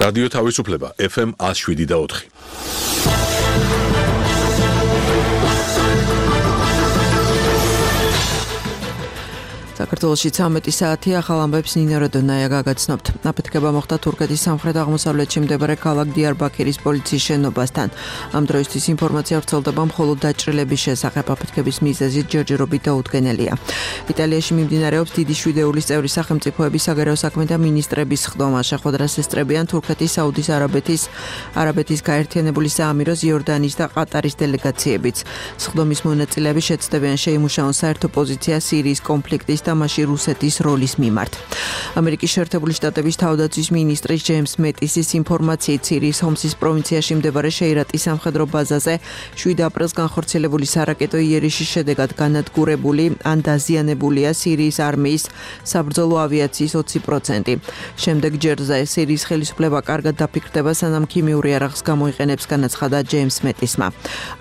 რადიო თავისუფლება FM 107.4. საქართველოში 13 საათი ახალ ამბებს ნინო როდონაია გაგაცნობთ. აფეთქება მოხდა თურქეთის სამხრეთ-აღმოსავლეთში მდებარე ქალაქ დიარბაქირის პოლიციის შენობასთან. ამ დროისთვის ინფორმაცია ვრცელდება მხოლოდ დაჭრილების შესახებ. აფეთქების მიზეზი ჯერჯერობით დაუდგენელია. იტალიაში მიმდინარეობს დიდი შვიდეულის წევრი სახელმწიფოების საგარეო საქმეთა მინისტრების სხდომა. შეხვედრას ესწრებიან თურქეთის, საუდის არაბეთის გაერთიანებული საამიროს, იორდანიის და ყატარის დელეგაციებიც. სხდომის მონაწილეები შეცდებიან შეიმუშაონ საერთო პოზიცია სირიის კონფლიქტის და მასში რუსეთის როლის მიმართ. ამერიკის შეერთებული შტატების თავდაცვის მინისტრის ჯეიმს მეტისის ინფორმაციით სირიის ჰომსის პროვინციაში მდებარე შეირატის სამხედრო ბაზაზე 7 აპრილს განხორციელებული სარაკეტო იერიში შედეგად განადგურებული ან დაზიანებულია სირიის არმიის საბრძოლო ავიაციის 20%. შემდეგ ჯერზე სირიის ხელისუფლება კარგად დაფიქრდება, სანამ ქიმიური იარაღს გამოიყენებს, განაცხადა ჯეიმს მეტისმა.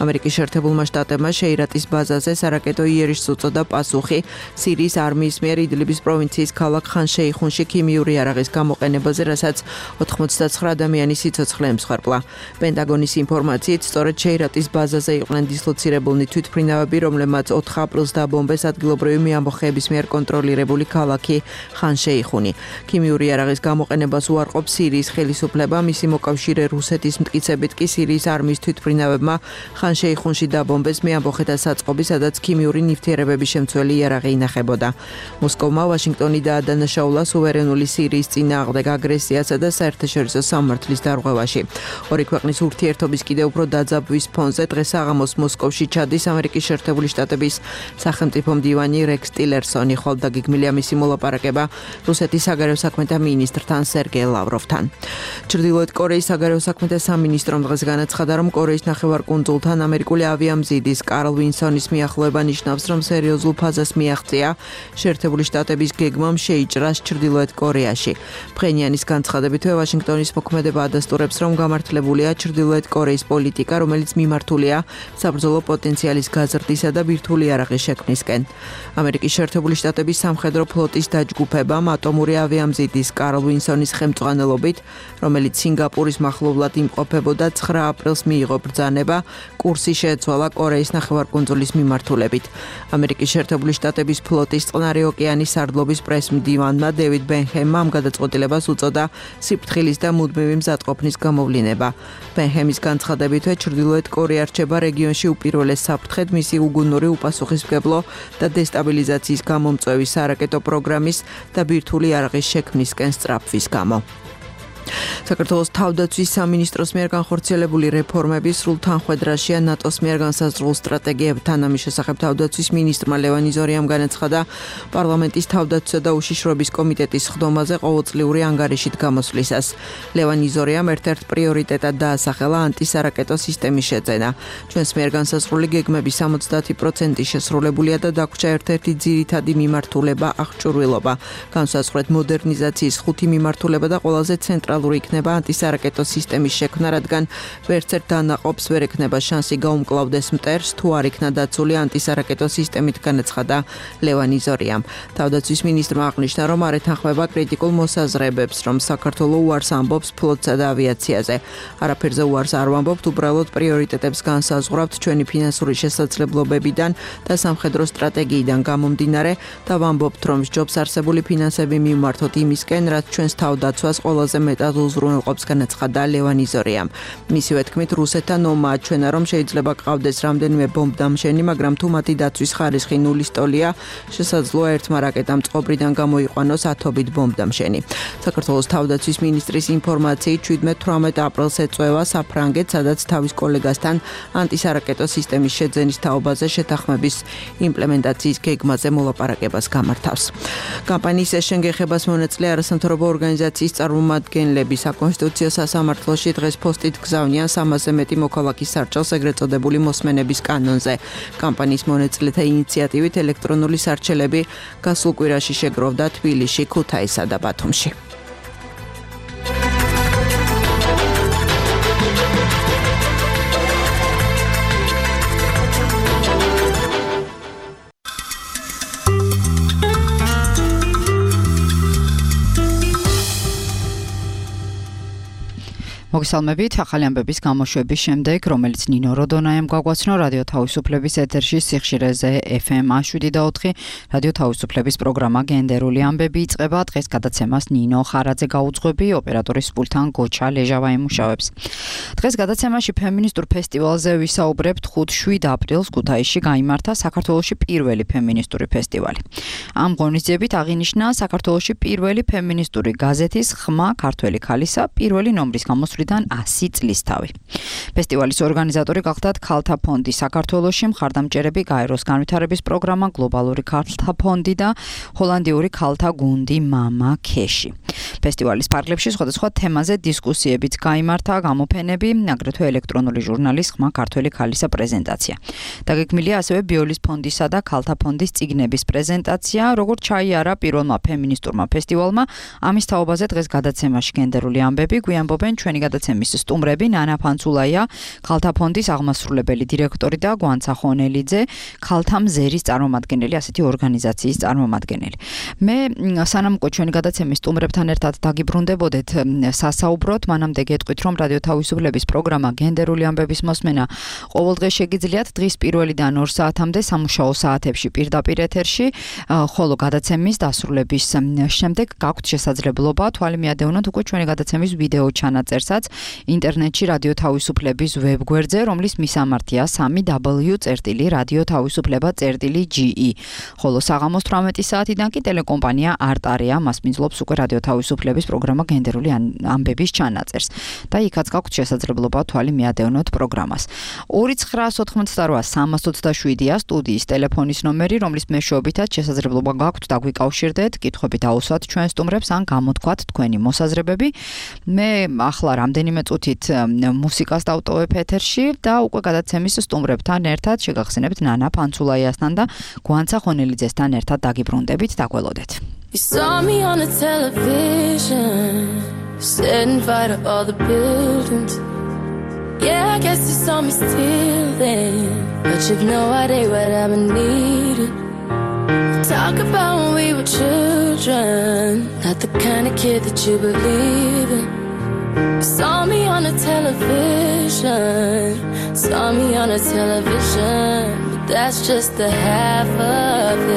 ამერიკის შეერთებულმა შტატებმა შეირატის ბაზაზე სარაკეტო იერიშს უწოდა პასუხი სირიის არმიის მიერ იდლიბის პროვინციის ქალაქ ხან-შეიხუნში ქიმიური იარაღის გამოყენებაზე, რასაც 99 ადამიანის სიცოცხლე ემსხვერპლა. პენტაგონის ინფორმაციით, სწორედ შეირატის ბაზაზე იყვნენ დისლოცირებულნი თვითმფრინავები, რომლებმაც 4 აპრილს დაბომბეს ადგილობრივი მეამბოხეების მიერ კონტროლირებული ქალაქი ხან-შეიხუნი. ქიმიური იარაღის გამოყენებას უარყოფს სირიის ხელისუფლება, მისი მოკავშირე რუსეთის მტკიცებით კი სირიის არმიის თვითმფრინავებმა ხან-შეიხუნში დაბომბეს მეამბოხეთა საწყობი, სადაც ქიმიური ნივთიერებების შემცველი იარაღი ინახებოდა. მოსკოვმა ვაშინგტონი დაადანაშაულა სუვერენული სირიის წინააღმდეგ აგრესიასა და საერთაშორისო სამართლის დარღვევაში. ორი ქვეყნის ურთიერთობის კიდევ უფრო დაძაბვის ფონზე დღეს საღამოს მოსკოვში ჩადის ამერიკის შეერთებული შტატების სახელმწიფო მდივანი რექს ტილერსონი, ხოლო დაგეგმილია მისი მოლაპარაკება რუსეთის საგარეო საქმეთა მინისტრთან სერგეი ლავროვთან. ჩრდილოეთ კორეის საგარეო საქმეთა სამინისტრომ დღეს განაცხადა, რომ კორეის ნახევარკუნძულთან ამერიკული ავიამზიდის კარლ ვინსონის მიახლოება ნიშნავს, რომ სერიოზულ ფაზას მიაღწია შეერთებული შტატების გეგმამ შეიჭრას ჩრდილოეთ კორეაში. ფხენიანის განცხადებითვე ვაშინგტონის მოქმედება ადასტურებს, რომ გამართლებულია ჩრდილოეთ კორეის პოლიტიკა, რომელიც მიმართულია საბრძოლო პოტენციალის გაზრდისა და ბირთვული იარაღის შექმნისკენ. ამერიკის შეერთებული შტატების სამხედრო ფლოტის დაჯგუფებამ ატომური ავიამზიდის კარლ ვინსონის ხელმძღვანელობით, რომელიც სინგაპურის მახლობლად იმყოფებოდა, 9 აპრილს მიიღო ბრძანება, კურსი შეეცვალა კორეის ნახევარკუნძულის მიმართულებით. ამერიკის შეერთებული შტატების ფლოტის წყნარი ოკეანის სარდლობის პრესმდივანმა დევიდ ბენჰემმა ამ გადაწყვეტილებას უწოდა სიფრთხილის და მუდმივი მზადყოფნის გამოვლინება. ბენჰემის განცხადებითვე ჩრდილოეთ კორეა რჩება რეგიონში უპირველეს საფრთხედ მისი უგუნური უპასუხისმგებლო და დესტაბილიზაციის გამომწვევი სარაკეტო პროგრამის და ბირთვული იარაღის შექმნისკენ სწრაფვის გამო. საქართველოს თავდაცვის სამინისტროს მიერ განხორციელებული რეფორმები სრულ თანხვედრაშია ნატოს მიერ განსაზღვრულ სტრატეგიებთან. ამის შესახებ თავდაცვის მინისტრმა ლევან იზორიამ განაცხადა პარლამენტის თავდაცვისა და უშიშროების კომიტეტის სხდომაზე ყოველწლიური ანგარიშით გამოსვლისას. ლევან იზორიამ ერთ-ერთ პრიორიტეტად დაასახელა ანტისარაკეტო სისტემის შეძენა. ჩვენს მიერ განსაზღვრული გეგმების 70% შესრულებულია და დაგვრჩა ერთ-ერთი ძირითადი მიმართულება აღჭურვილობა. განსაზღვრეთ მოდერნიზაციის 5 მიმართულება და ყველაზე ცენტრალური იქნება ანტისარაკეტო სისტემის შექმნა, რადგან ვერცერთ დანაყოფს ვერ ექნება შანსი გაუმკლავდეს მტერს, თუ არ იქნა დაცული ანტისარაკეტო სისტემით, განაცხადა ლევან იზორიამ. თავდაცვის მინისტრმა აღნიშნა, რომ არ ეთანხმება კრიტიკულ მოსაზრებებს, რომ საქართველო უარს ამბობს ფლოტსა და ავიაციაზე. არაფერზე უარს არ ვამბობთ, უბრალოდ პრიორიტეტებს განსაზღვრავთ ჩვენი ფინანსური შესაძლებლობებიდან და სამხედრო სტრატეგიიდან გამომდინარე და ვამბობთ, რომ სჯობს არსებული ფინანსები მივმართოთ იმისკენ, რაც ჩვენს თავდაცვას ყველაზე მეტად უზრუნველყოფს, განაცხადა ლევან იზორიამ. მისივე თქმით, რუსეთთან ომმა აჩვენა, რომ შეიძლება გყავდეს რამდენიმე ბომბდამშენი, მაგრამ თუ მათი დაცვის ხარისხი ნულის ტოლია, შესაძლოა ერთმა რაკეტამ წყობრიდან გამოიყვანოს ათობით ბომბდამშენი. საქართველოს თავდაცვის მინისტრის ინფორმაციით 17-18 აპრილს ეწევა საფრანგეთს, სადაც თავის კოლეგასთან ანტისარაკეტო სისტემის შეძენის თაობაზე შეთანხმების იმპლემენტაციის გეგმაზე მოლაპარაკებას გამართავს. კამპანიის ეს შენგეხებას მონაწილე არასამთავრობო ორგანიზაციის წარმომადგენლები საკონსტიტუციო სასამართლოში დღეს პოსტით გზავნიან 300-ზე მეტი მოქალაქის სარჩელს ეგრეთ წოდებული მოსმენების კანონზე. კამპანიის მონაწილეთა ინიციატივით ელექტრონული სარჩელები გასულ კვირაში შეგროვდა თბილისში, ქუთაისსა და ბათუმში. მოგესალმებით, ახალი ამბების გამოშვების შემდეგ, რომელიც ნინო როდონაიამ გაგვაცნო რადიო თავისუფლების ეთერში სიხშირეზე FM 7.4 რადიო თავისუფლების პროგრამა გენდერული ამბები იწყება. დღეს გადაცემას ნინო ხარაძე გაუძღვები, ოპერატორის პულტთან გოჩა ლეჟავა იმუშავებს. დღეს გადაცემაში ფემინისტურ ფესტივალზე ვისაუბრებთ. 5-7 აპრილს ქუთაისში გაიმართა საქართველოში პირველი ფემინისტური ფესტივალი. ამ ღონისძიებით აღინიშნა საქართველოში პირველი ფემინისტური გაზეთის ხმა ქართველი ქალისა პირველი ნომრის გამოსვლიდან 100 წლის თავი. ფესტივალის ორგანიზატორი გახდათ ქალთა ფონდი საქართველოში, მხარდამჭერები გაეროს განვითარების პროგრამა, გლობალური ქალთა ფონდი და ჰოლანდიური ქალთა გუნდი მამა ქეში. ფესტივალის ფარგლებში სხვადასხვა თემაზე დისკუსიებიც გაიმართა, გამოფენები, აგრეთვე ელექტრონული ჟურნალის ხმა ქართველი ქალისა პრეზენტაცია. დაგეგმილია ასევე ბიოლის ფონდისა და ქალთა ფონდის წიგნების პრეზენტაცია, როგორც ჩაიარა პირველმა ფემინისტურმა ფესტივალმა. ამის თაობაზე დღეს გადაცემაში გენდერული ამბები გვიამბობენ ჩვენი გადაცემის სტუმრები ნანა ფანცულაია, ქალთა ფონდის აღმასრულებელი დირექტორი და გვანცა ხონელიძე, ქალთა მზერის წარმომადგენელი, ასეთი ორგანიზაციის წარმომადგენელი. მე სანამ უკვე ჩვენი გადაცემის სტუმრებთან ერთად დაგიბრუნდებოდეთ სასაუბროთ, მანამდე გეტყვით, რომ რადიო თავისუფლების პროგრამა გენდერული ამბების მოსმენა ყოველდღე შეგიძლიათ დღის 1-დან 2 საათამდე სამუშაო საათებში პირდაპირ ეთერში, ხოლო გადაცემის დასრულების შემდეგ გაქვთ შესაძლებლობა თვალი მიადევნოთ უკვე ჩვენი გადაცემის ვიდეო ჩანაწერსაც ინტერნეტში რადიო თავისუფლების ვებგვერდზე, რომლის მისამართია www.radiotavisufleba.ge. ხოლო საღამოს 18 საათიდან კი ტელეკომპანია არტარია მასპინძლობს უკვე რადიო თავისუფლების პროგრამა გენდერული ამბების ჩანაწერს და იქაც გაქვთ შესაძლებლობა თვალი მიადევნოთ პროგრამას. 2988327-ია სტუდიის ტელეფონის ნომერი, რომლის მეშვეობითაც შესაძლებლობა გაქვთ დაგვიკავშირდეთ, კითხვები დაუსვათ ჩვენ სტუმრებს ან გამოთქვათ თქვენი მოსაზრებები. მე ახლა რამდენიმე წუთით მუსიკას დავტოვებ ეთერში და უკვე გადაცემის სტუმრებთან ერთად შეგახსენებთ ნანა ფანცულაიასთან და გვანცა ხონელიძესთან ერთად დაგიბრუნდებით, დაგველოდეთ. You saw me on a television, setting fire to all the buildings. Yeah, I guess you saw me still then, but you've no idea what I've been needing. Talk about when we were children, not the kind of kid that you believe in. You saw me on a television, saw me on a television, but that's just the half of it.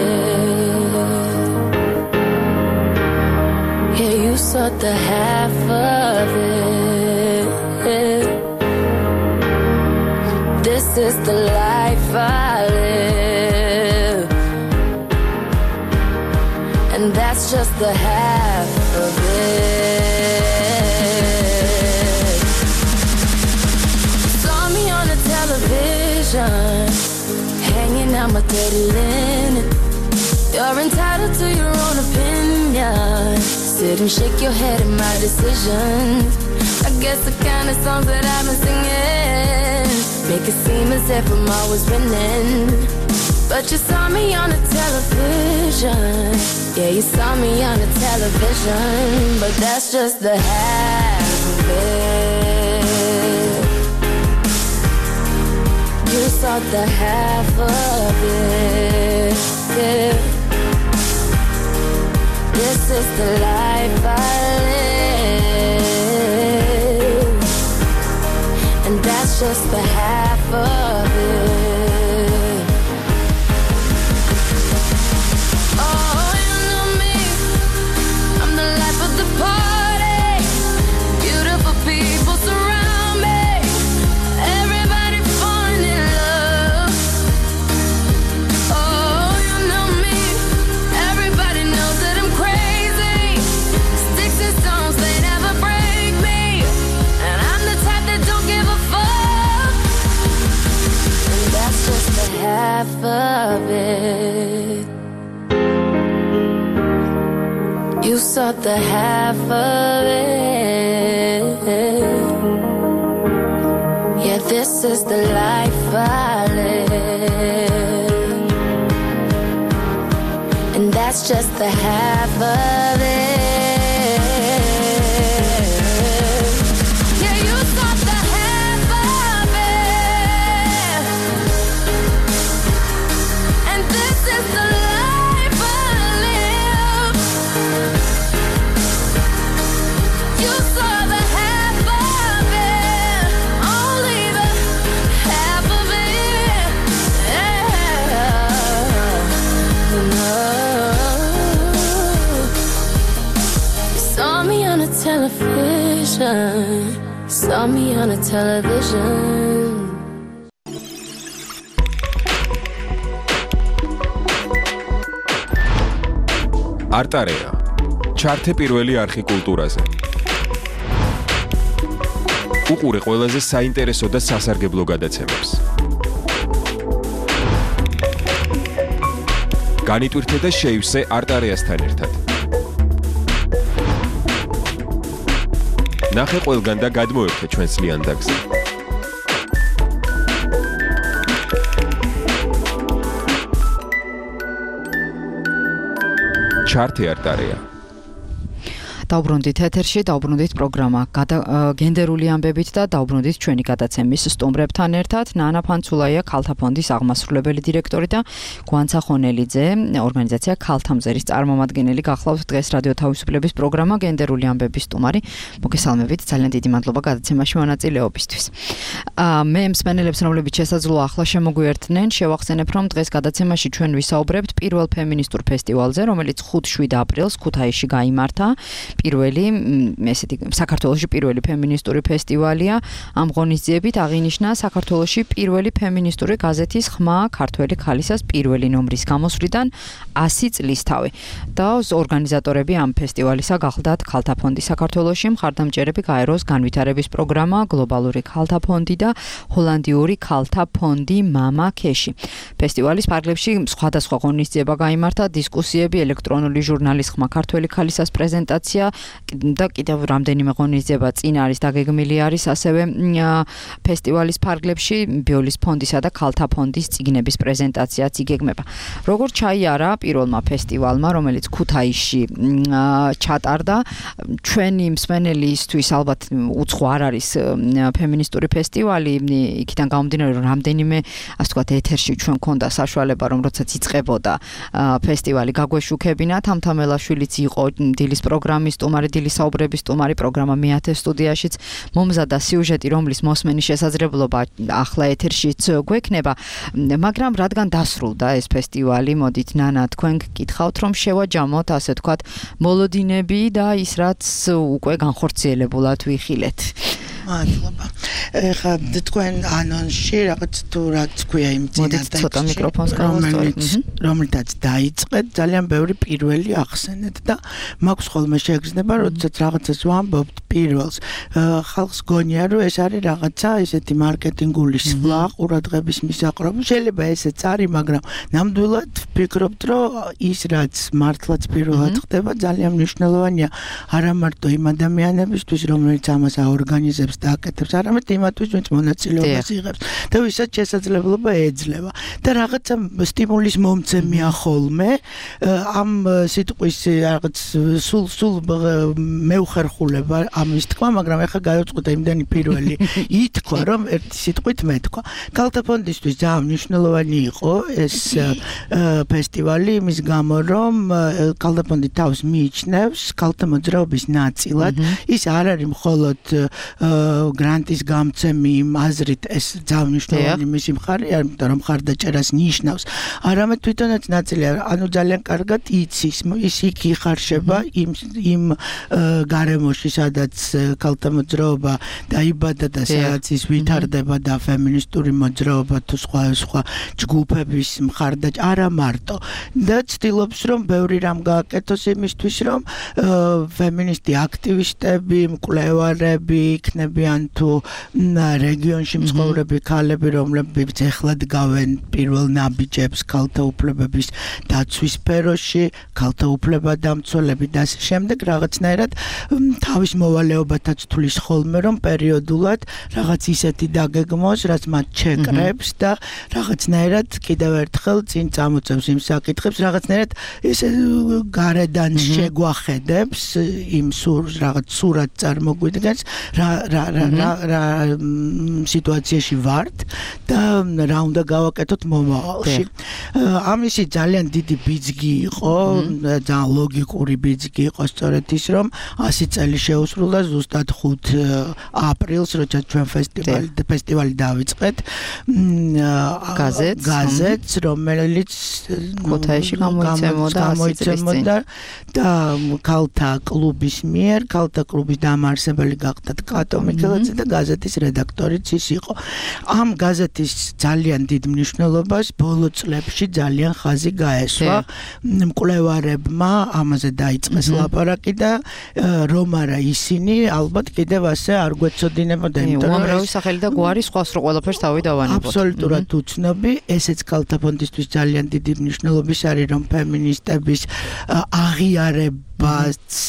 Yeah, you saw the half of it. This is the life I live, and that's just the half of it. Saw me on a television, hanging out my dirty linen. You're entitled to your own opinion. Sit and shake your head at my decisions. I guess the kind of songs that I've been singing make it seem as if I'm always winning. But you saw me on a television. Yeah, you saw me on a television, but that's just the half of it. You saw the half of it. Yeah. This is the life I live, and that's just the half of it. Oh, you know me, I'm the life of the party. Beautiful people surround me, everybody falling in love. Oh, you know me, everybody knows that I'm crazy. Sticks and stones, they never break me, and I'm the type that don't give a fuck. And that's just the half of it. You saw the half of it. Yeah, this is the life I live, and that's just the half of it. Yeah, you saw the half of it, and this is the life I live. You saw the half of television. Saw me on a television. არტარეა. ჩართე პირველი არხი კულტურაზე. უყურე ყველაზე საინტერესო და სასარგებლო გადაცემებს. განიტვირთე და შეივსე არტარეასთან ერთად. ნახე ყველგან და გადმოერთე ჩვენს ლიანდაგზე. ჩართე არტარეა. დაუბრუნდით ეთერში, დაუბრუნდით პროგრამა გენდერული ამბებით და დაუბრუნდით ჩვენი გადაცემის სტუმრებთან ერთად. ნანა ფანცულაია, ქალთა ფონდის აღმასრულებელი დირექტორი და გვანცა ხონელიძე, ორგანიზაცია ქალთა მზერის წარმომადგენელი. გახლავთ დღეს რადიო თავისუფლების პროგრამა გენდერული ამბების სტუმარი. მოგესალმებით, ძალიან დიდი მადლობა გადაცემაში მონაწილეობისთვის. მე მსმენელებს, რომლებიც შესაძლოა ახლა შემოგვიერთნენ, შევახსენებ, რომ დღეს გადაცემაში ჩვენ ვისაუბრებთ პირველ ფემინისტურ ფესტივალზე, რომელიც 5-7 აპრილს ქუთაისში გაიმართა. პირველი ესეთი საქართველოში პირველი ფემინისტური ფესტივალია. ამ ღონისძიებით აღინიშნა საქართველოში პირველი ფემინისტური გაზეთის ხმა ქართველი ქალისას პირველი ნომრის გამოსვლიდან 100 წლისთავი. და ორგანიზატორები ამ ფესტივალისა გახლდათ ქალთა ფონდი საქართველოში, მხარდამჭერები გაეროს განვითარების პროგრამა, გლობალური ქალთა ფონდი და ჰოლანდიური ქალთა ფონდი მამა ქეში. ფესტივალის ფარგლებში სხვადასხვა ღონისძიება გაიმართა, დისკუსიები, ელექტრონული ჟურნალის ხმა ქართველი ქალისას პრეზენტაცია და კიდევ რამდენიმე ღონისძიება წინ არის დაგეგმილი არის ასევე ფესტივალის ფარგლებში ბიოლის ფონდისა და ქალთა ფონდის წიგნების პრეზენტაციაც იგეგმება. როგორც ჩაიარა პირველმა ფესტივალმა, რომელიც ქუთაისში ჩატარდა, ჩვენი მსმენელისთვის ალბათ უცხო არ არის ფემინისტური ფესტივალი, იქიდან გამომდინარე რომ რამდენიმე ასე ვთქვათ ეთერში ჩვენ გქონდა საშუალება რომ როდესაც იწყებოდა ფესტივალი გაგვეშუქებინათ. ამთამელაშვილიც იყო დილის პროგრამის სტუმარი, დილის საუბრების სტუმარი, პროგრამა მე-10 სტუდიაშიც მომზადდა სიუჟეტი, რომლის მოსმენის შესაძლებლობა ახლა ეთერშიც გვექნება, მაგრამ რადგან დასრულდა ეს ფესტივალი, მოდით ნანა თქვენ გკითხავთ რომ შევაჯამოთ ასე ვთქვათ მოლოდინები და ის რაც უკვე განხორციელებულად ვიხილეთ. მადლობა. ეხლა თქვენ ანონსში რაღაც თუ რაც ქვია იმ წინასწარ რომელთაც დაიწყეთ, ძალიან ბევრი პირველი ახსენეთ და მაქვს ხოლმე შეგრძნება, როდესაც რაღაცას ვამბობთ პირველს. ხალხს გონია რომ ეს არის რაღაცა ესეთი მარკეტინგული სვლა, ყურადღების მისაყრობი. შეიძლება ესეც არის, მაგრამ ნამდვილად ვფიქრობთ, რომ ის რაც მართლაც პირველად ხდება, ძალიან მნიშვნელოვანია არა მარტო იმ ადამიანებისთვის, რომლებიც ამას აორგანიზებს და აკეთებს, არამედ იმათთვის, ვინც მონაწილეობას იღებს და ვისაც შესაძლებლობა ეძლევა. და რაღაცა სტიმულის მომცემია ხოლმე ამ სიტყვის რაღაც სულ მეუხერხულება ამის თქვა, მაგრამ ეხლა გაიწყდა იმდენი პირველი ითქვა, რომ ერთი სიტყვით მეთქვა. ქალთა ფონდისთვის ძალიან მნიშვნელოვანი იყო ეს ფესტივალი იმის გამო, რომ ქალთა ფონდი თავს მიიჩნევს ქალთა მოძრაობის ნაწილად. ის არ არის მხოლოდ გრანტის გამცემი იმ აზრით, ეს ძალიან მნიშვნელოვანი მისი მხარეა, იმიტომ რომ მხარდაჭერას ნიშნავს. არამედ თვითონაც ნაწილია, ანუ ძალიან კარგად იცის, ის იქ იხარშება იმ გარემოში, სადაც ქალთა მოძრაობა დაიბადა და სადაც ის ვითარდება და ფემინისტური მოძრაობა თუ სხვა ჯგუფების მხარდაჭერა არა მარტო. და ცდილობს რომ ბევრი რამ გააკეთოს იმისთვის, რომ ფემინისტი აქტივისტები, მკვლევარები იქნებიან თუ რეგიონში მცხოვრები ქალები, რომლებიც ეხლა დგავენ პირველ ნაბიჯებს ქალთა უფლებების დაცვის სფეროში, ქალთა უფლებადამცველები და ასე შემდეგ, რაღაცნაირად თავის მოვალეობათაც თulis ხოლმე, რომ პერიოდულად რაღაც ისეთი დაგეგმოს, რაც მათ შეკრებს და რაღაცნაირად კიდევ ერთხელ წინ წამოწევს იმ საკითხებს, რაღაცნაირად ესე გარედან შეგვახედებს იმ რაღაც სურათ წარმოგვიდგენს, რა სიტუაციაში ვართ და რა უნდა გავაკეთოთ მომავალში. ამისი ძალიან დიდი ბიძგი იყო, ძალიან ლოგიკური ბიძგი იყო სწორედ ის, რომ 100 წელი შეუსრულდა ზუსტად 5 აპრილს, როცა ჩვენ ფესტივალი დავიწყეთ. გაზეთს, რომელიც ქუთაისში გამოიცემოდა და ქალთა კლუბის მიერ, ქალთა კლუბის დამაარსებელი გახდათ კატო მიქელაძე და გაზეთის რედაქტორიც ის იყო. ამ გაზეთის ძალიან დიდ მნიშვნელობას ბოლო წლებში ძალიან ხაზი გაესვა. მკვლევარებმა ამაზე დაიწყეს ლაპარაკი და რომ არა ისინი ალბათ კიდევ ასე არ გვეცოდინებოდა, იმიტომ რომ უამრავი სახელი და გვარი სხვას რო ყველაფერს თავი დავანებოთ. აბსოლუტურად უცნობი, ესეც ქალთა ფონდისთვის ძალიან დიდი მნიშვნელობის არის, რომ ფემინისტების აღიარებაც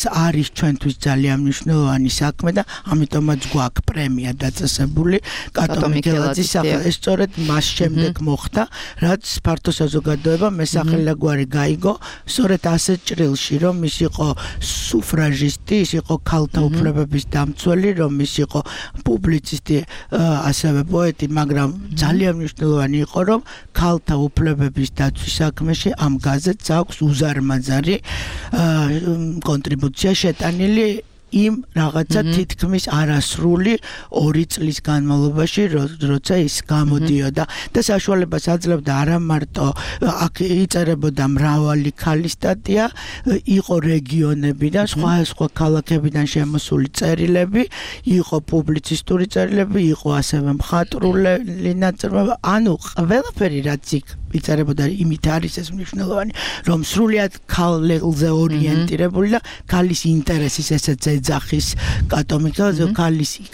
არის ჩვენთვის ძალიან მნიშვნელოვანი საქმე და ამიტომაც გვაქვს პრემია დაწესებული კატო მიქელაძის სახელით. ეს სწორედ მას შემდეგ მოხდა, რაც ფართო საზოგადოება მოსახლეგვარი გაიგო, სწორედ ასეთ ჭრილში, რომ ის იყო სუფრაჟისტი, ის იყო ქალთა უფლებების დამცველი, რომ ის იყო პუბლიცისტი, ასევე პოეტი, მაგრამ ძალიან მნიშვნელოვანი იყო, რომ ქალთა უფლებების დაცვის საქმეში ამ გაზეთს აქვს უზარმაზარი კონტრიბუცია შეტანილი იმ რაღაცა თითქმის არასრული 2 წლის განმავლობაში, როცა ის გამოდიოდა და საშუალებას აძლევდა არა მარტო აქ იწერებოდა მრავალი ქალის სტატია, იყო რეგიონებიდან, სხვა ქალაქებიდან შემოსული წერილები, იყო პუბლიცისტური წერილები, იყო ასევე მხატვრული ნაწარმოები, ანუ ყველაფერი რაც იქ იწერებოდა იმით არის ეს მნიშვნელოვანი, რომ სრულიად ქალებზე ორიენტირებული და ქალის ინტერესის ესეც ეძახის კატო მიქელაძე,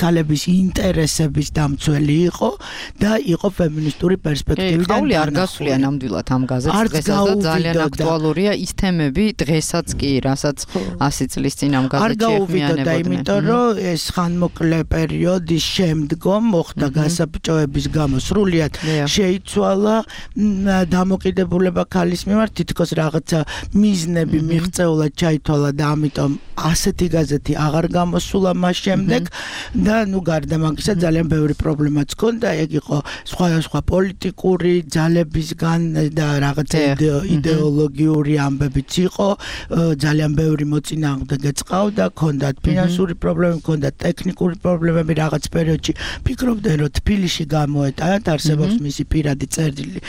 ქალების ინტერესების დამცველი იყო და იყო ფემინისტური პერსპექტივიდან. ყავლი არ გასვლია ნამდვილად ამ გაზეთს დღესაც და ძალიან აქტუალურია ის თემები დღესაც კი, რასაც 100 წლის წინ ამ გაზეთში ეხმიანებოდნენ. იმიტომ რომ ეს ხანმოკლე პერიოდის შემდგომ მოხდა გასაბჭოების გამო სრულიად შეიცვალა დამოკიდებულება ქალის მიმართ, თითქოს რაღაცა მიზნები მიღწეულად ჩაითვალა და ამიტომ ასეთი გაზეთი აღარ გამოსულა მას შემდეგ და გარდა მაგისა ძალიან ბევრი პრობლემაც ჰქონდა, ეგ იყო სხვა პოლიტიკური ძალებისგან და რაღაცა იდეოლოგიური ამბებიც იყო, ძალიან ბევრი მოწინააღმდეგეც ყავდა, ჰქონდათ ფინანსური პრობლემები, ჰქონდათ ტექნიკური პრობლემები, რაღაც პერიოდში ფიქრობდნენ, რომ თბილისში გამოეტანათ, არსებობს მისი პირადი წერილი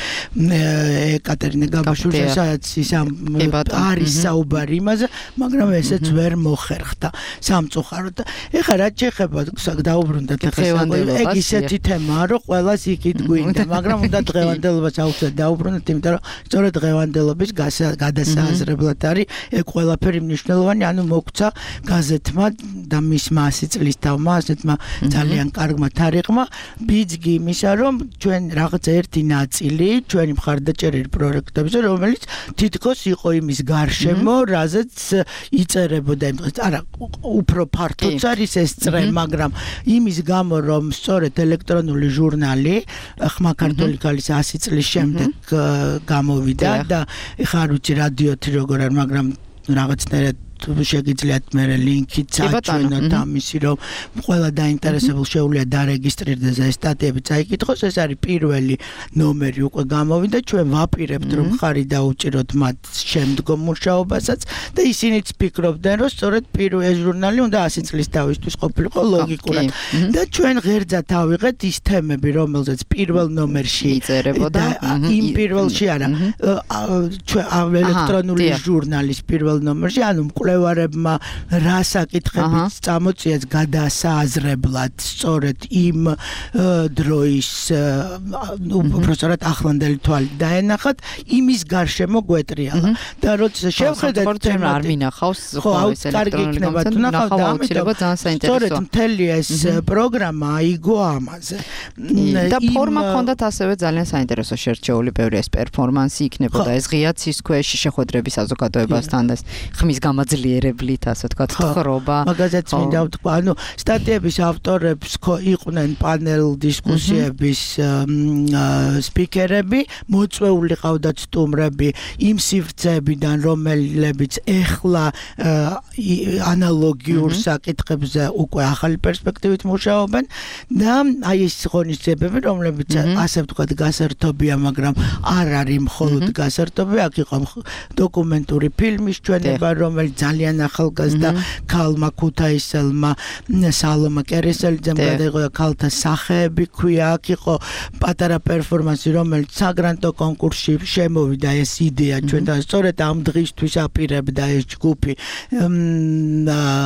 ეკატერინა გაბაშვილის, სადაც ის არის საუბარი იმაზე, მაგრამ ესეც ვერ მოხერხდა სამწუხაროდ. ეხლა რაც შეეხება დაუბრუნდათ, ეგ ისეთი თემაა, რომ ყველას იქით გვინდა, მაგრამ უნდა დღევანდელობას აუცილებლად დაუბრუნდეთ, იმიტომ რომ სწორედ დღევანდელობის გადასააზრებლად არის ეგ ყველაფერი მნიშვნელოვანი, ანუ მოგვცა გაზეთმა და მისმა 100 წლის თავმა, ასეთმა ძალიან კარგმა თარიღმა ბიძგი იმისა, რომ ჩვენ რაღაც ერთი ნაწილი ჩვენი მხარდაჭერილი პროექტებზე, რომელიც თითქოს იყო იმის გარშემო, რაზეც იწერებოდა იმ დღეს. არა, უფრო ფართოც არის ეს წრე, მაგრამ იმის გამო, რომ სწორედ ელექტრონული ჟურნალი ხმა ქართული ქალის 100 წლის შემდეგ გამოვიდა და ეხლა არ ვიცი რადიოთი როგორ არის, მაგრამ რაღაცნაირად შეგიძლიათ მე ლინკით წაჩვენოთ ამისი, რომ ყველა დაინტერესებულ შეუძლია დარეგისტრირდეს ეს სტატიები წაიკითხოს. ეს არის პირველი ნომერი უკვე გამოვიდა, ჩვენ ვაპირებთ რომ ხარი დაუჭიროთ მათ შემდგომ მუშაობასაც და ისინიც ფიქრობდნენ, რომ სწორედ ეს ჟურნალი უნდა 100 წლის თავისთვის ყოფილიყო ლოგიკურად და ჩვენ ღერძად ავიღეთ ის თემები, რომელზეც პირველ ნომერში იწერებოდა, იმ პირველში არა, ჩვენ ელექტრონული ჟურნალის პირველ ნომერში, ანუ მკვლევარებმა რა საკითხებით წამოწიეს გადასააზრებლად სწორედ იმ დროის უბრალოდ ახლანდელი თვალი დაენახათ, იმის გარშემო გვეტრიალა და როცა შევხედეთ თემა არ მინახავს ეს ელექტრონული გამოცემა და ამიტომ სწორედ მთელი ეს პროგრამა აიგო ამაზე და ფორმა ჰქონდათ ასევე ძალიან საინტერესო შერჩეული, ბევრი ეს პერფორმანსი იქნებოდა, ეს ღია ცის ქვეშ შეხვედრები საზოგადოებასთან და ხმის გამაძლიერება გაძლიერებლით, ასე ვთქვათ, თხრობა. მაგაზეც მინდა ვთქვა, ანუ სტატიების ავტორებს იყვნენ პანელ დისკუსიების სპიკერები, მოწვეული ყავდათ სტუმრები იმ სივრცეებიდან, რომლებიც ეხლა ანალოგიურ საკითხებზე უკვე ახალი პერსპექტივით მუშაობენ და აი ეს ღონისძიებები, რომლებიც ასე ვთქვათ გასართობია, მაგრამ არ არის მხოლოდ გასართობი, აქ იყო დოკუმენტური ფილმის ჩვენება, რომელიც ძალიან ახალგაზრდა ქალმა ქუთაისელმა სალომა კერესელიძემ გადაიღო ქალთა სახეები ქვია, აქ იყო პატარა პერფორმანსი, რომელიც საგრანტო კონკურსში შემოვიდა ეს იდეა ჩვენთან, სწორედ ამ დღისთვის აპირებდა ეს ჯგუფი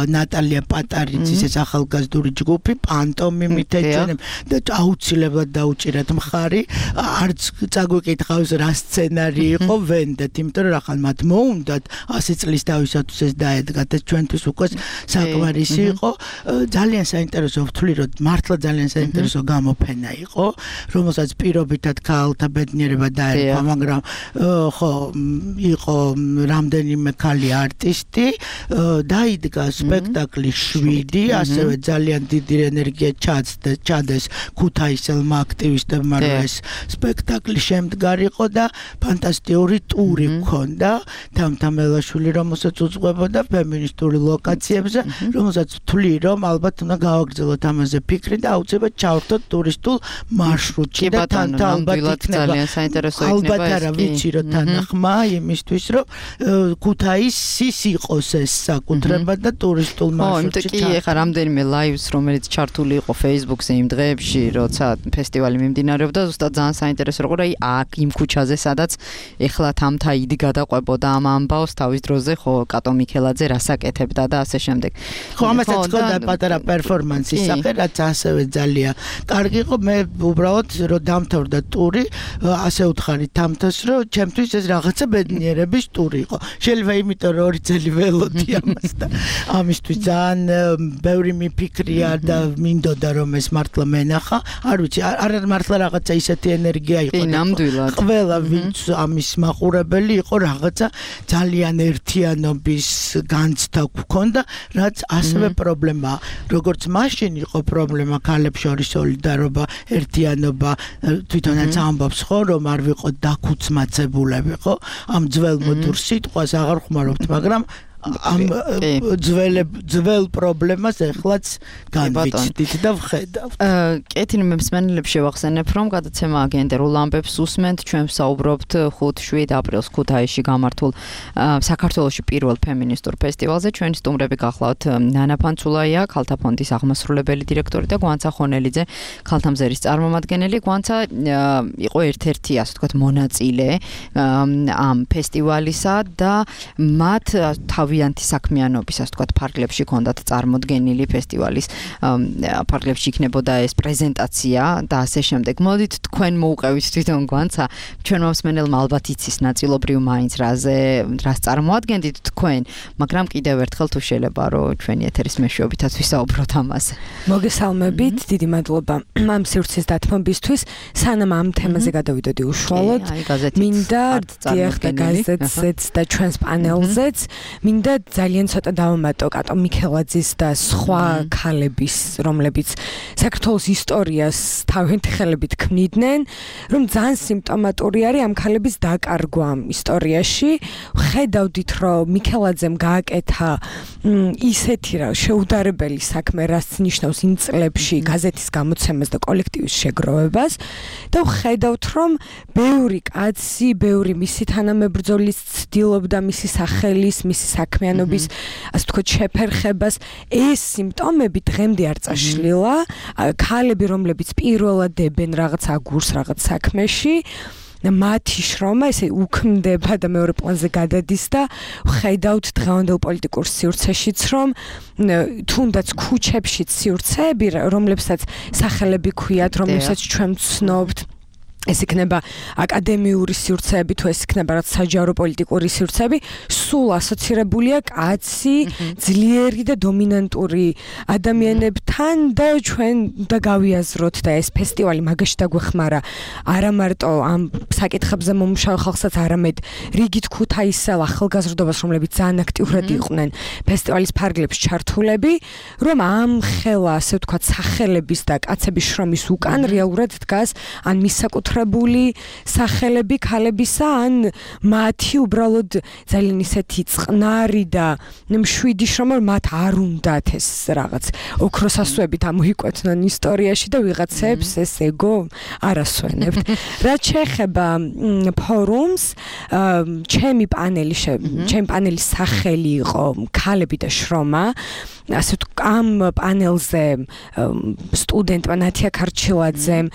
ნატალია პატარიძის ეს ახალგაზრდული ჯგუფი პანტომიმით ეჩვენება და აუცილებლად დაუჭირათ მხარი, არც წაგვიკითხავს რა სცენარი იყო ვენდეთ, იმიტომ რომ ახალ მათ მოუნდათ 100 წლის თავისათვის ეს დაედგათ, ეს ჩვენთვის უკვე საკმარისი იყო. ძალიან საინტერესო ვთვლი, რომ მართლა ძალიან საინტერესო გამოფენა იყო, რომელსაც პირობითად ქალთა ბედნიერება დაერქვა, მაგრამ ხო იყო რამდენიმე ქალი არტისტი, დაიდგა სპექტაკლი 7, ასევე ძალიან დიდი ენერგია ჩადეს ქუთაისელმა აქტივისტებმა, რომ ეს სპექტაკლი შემდგარიყო და ფანტასტიკური ტური ჰქონდა თამთა მელაშვილი, რომელსაც უძღვებოდა ფემინისტური ლოკაციებზე, რომელსაც ვთვლი, რომ ალბათ უნდა გავაგრძელოთ ამაზე ფიქრი და აუცილებლად ჩავერთოთ ტურისტულ მარშრუტში და თან ალბათ იქნება ძალიან საინტერესო იქნება ალბათ არა ვიცი რომ თანახმა იმისთვის რომ ქუთაისის იყოს ეს საკუთრება და ტურისტულ მარშრუტში. კი, ეხლა რამდენიმე ლაივს, რომელიც ჩართული იყო Facebook-ზე იმ დღეებში, როცა ფესტივალი მიმდინარეობდა, ზუსტად ძალიან საინტერესო იყო, აი აქ იმ ქუჩაზე, სადაც ეხლა თამთა იდგა და ყვებოდა ამ ამბავს თავის დროზე, ხო, კატო მიქელაძე რასაკეთებდა და ასე შემდეგ. ხო, ამასაც ხოდა პატარა პერფორმანსის სახე, რაც ასევე ძალიან კარგი იყო. მე უბრალოდ რომ დამთავრდა ტური, ასე ვთხარი თამთას, რომ ჩემთვის ეს რაღაცა ბედნიერების ტური იყო. შეიძლება იმიტომ რომ 2 წელი ველოდი ამას და ამისთვის ძალიან ბევრი მიფიქრია და მინდოდა რომ ეს მართლა მენახა. არ ვიცი, არ მართლა რაღაცა ისეთი ენერგია იყო. ნამდვილად. ყველა ვინც ამის მაყურებელი იყო რაღაცა ძალიან ერთიანობის განცდა გქონდა, რაც ასევე პრობლემაა. როგორც მაშინ იყო პრობლემა ქალებს შორის სოლიდარობა, ერთიანობა, თვითონაც ამბობს ხო, რომ არ ვიყოთ დაქუცმაცებულები, ხო? ამ ძველ მოდურ სიტყვას აღარ ხმარობთ, მაგრამ ამ ძველ პრობლემას ეხლაც განვიცდით და ვხედავთ. კეთილი მსმენელებს შევახსენებ, რომ გადაცემა გენდერულ ამბებს უსმენთ, ჩვენ ვსაუბრობთ 5-7 აპრილს ქუთაისში გამართულ საქართველოში პირველ ფემინისტურ ფესტივალზე. ჩვენი სტუმრები გახლავთ ნანა ფანცულაია, ქალთა ფონდის აღმასრულებელი დირექტორი და გვანცა ხონელიძე, ქალთა მზერის წარმომადგენელი. გვანცა იყო ერთ-ერთი, ასე ვთქვათ, მონაწილე ამ ფესტივალისა და მათ თავიანთი საქმიანობის, ასე ვთქვათ, ფარგლებში ჰქონდათ წარმოდგენილი ფესტივალის ფარგლებში იქნებოდა ეს პრეზენტაცია და ასე შემდეგ. მოდით თქვენ მოუყევით თვითონ გვანცა, ჩვენ მომსმენელმა ალბათ იცის ნაწილობრივ მაინც რას წარმოადგენდით თქვენ, მაგრამ კიდევ ერთხელ თუ შეიძლება რომ ჩვენი ეთერის მეშვეობითაც ვისაუბროთ ამაზე. მოგესალმებით, დიდი მადლობა ამ სივრცის დათმობისთვის. სანამ ამ თემაზე გადავიდოდი უშუალოდ, მინდა დიახ და გაზეთზეც და ჩვენს პანელზეც მინდა ძალიან ცოტა დავამატო კატო მიქელაძის და სხვა ქალების, რომლებიც საქართველოს ისტორიას თავიანთი ხელებით ქმნიდნენ, რომ ძალიან სიმპტომატური არის ამ ქალების დაკარგვა ამ ისტორიაში. ხედავდით, რომ მიქელაძემ გააკეთა ისეთი რა შეუდარებელი საქმე, რაც ნიშნავს იმ წლებში გაზეთის გამოცემას და კოლექტივის შეგროვებას და ხედავთ, რომ ბევრი კაცი, ბევრი მისი თანამებრძოლის ცდილობდა მისი სახელის, მისი საქმიანობის, ასე ვთქვათ, შეფერხებას. ეს სიმპტომები დღემდე არ წაშლილა. ქალები, რომლებიც პირველად დებენ რაღაც აგურს, რაღაც საქმეში, მათი შრომა ესე უქმდება და მეორე პლანზე გადადის და ხედავთ დღევანდელ პოლიტიკურ სივრცეშიც, რომ თუნდაც ქუჩებშიც სივრცეები, რომლებსაც სახელები ქვიათ, რომლებსაც ჩვენ ვცნობთ, ეს იქნება აკადემიური სივრცეები თუ ეს იქნება რაც საჯარო პოლიტიკური სივრცეები, სულ ასოცირებულია კაცი, ძლიერი და დომინანტური ადამიანებთან და ჩვენ უნდა გავიაზროთ და ეს ფესტივალი მაგაში დაგვეხმარა არა მარტო ამ საკითხებზე მომუშავე ხალხსაც, არამედ რიგით ქუთაისელ ახალგაზრდობას, რომლებიც ძალიან აქტიურად იყვნენ ფესტივალის ფარგლებში ჩართულები, რომ ამ ხელა, ასე ვთქვათ, სახელების და კაცების შრომის უკან რეალურად დგას ან მისაკუთრებული სახელები ქალებისა, ან მათი უბრალოდ ძალიან ისეთი წყნარი და მშვიდი შრომა, რომ მათ არ უნდათ ეს რაღაც ოქროსასუებით ამოიკვეთნონ ისტორიაში და ვიღაცებს ეს ეგო არ ასვენებთ. რაც შეეხება ფორუმს, ჩემი პანელის სახელი იყო ქალები და შრომა. ასე ამ პანელზე სტუდენტმა ნათია ქარჩილაძემ,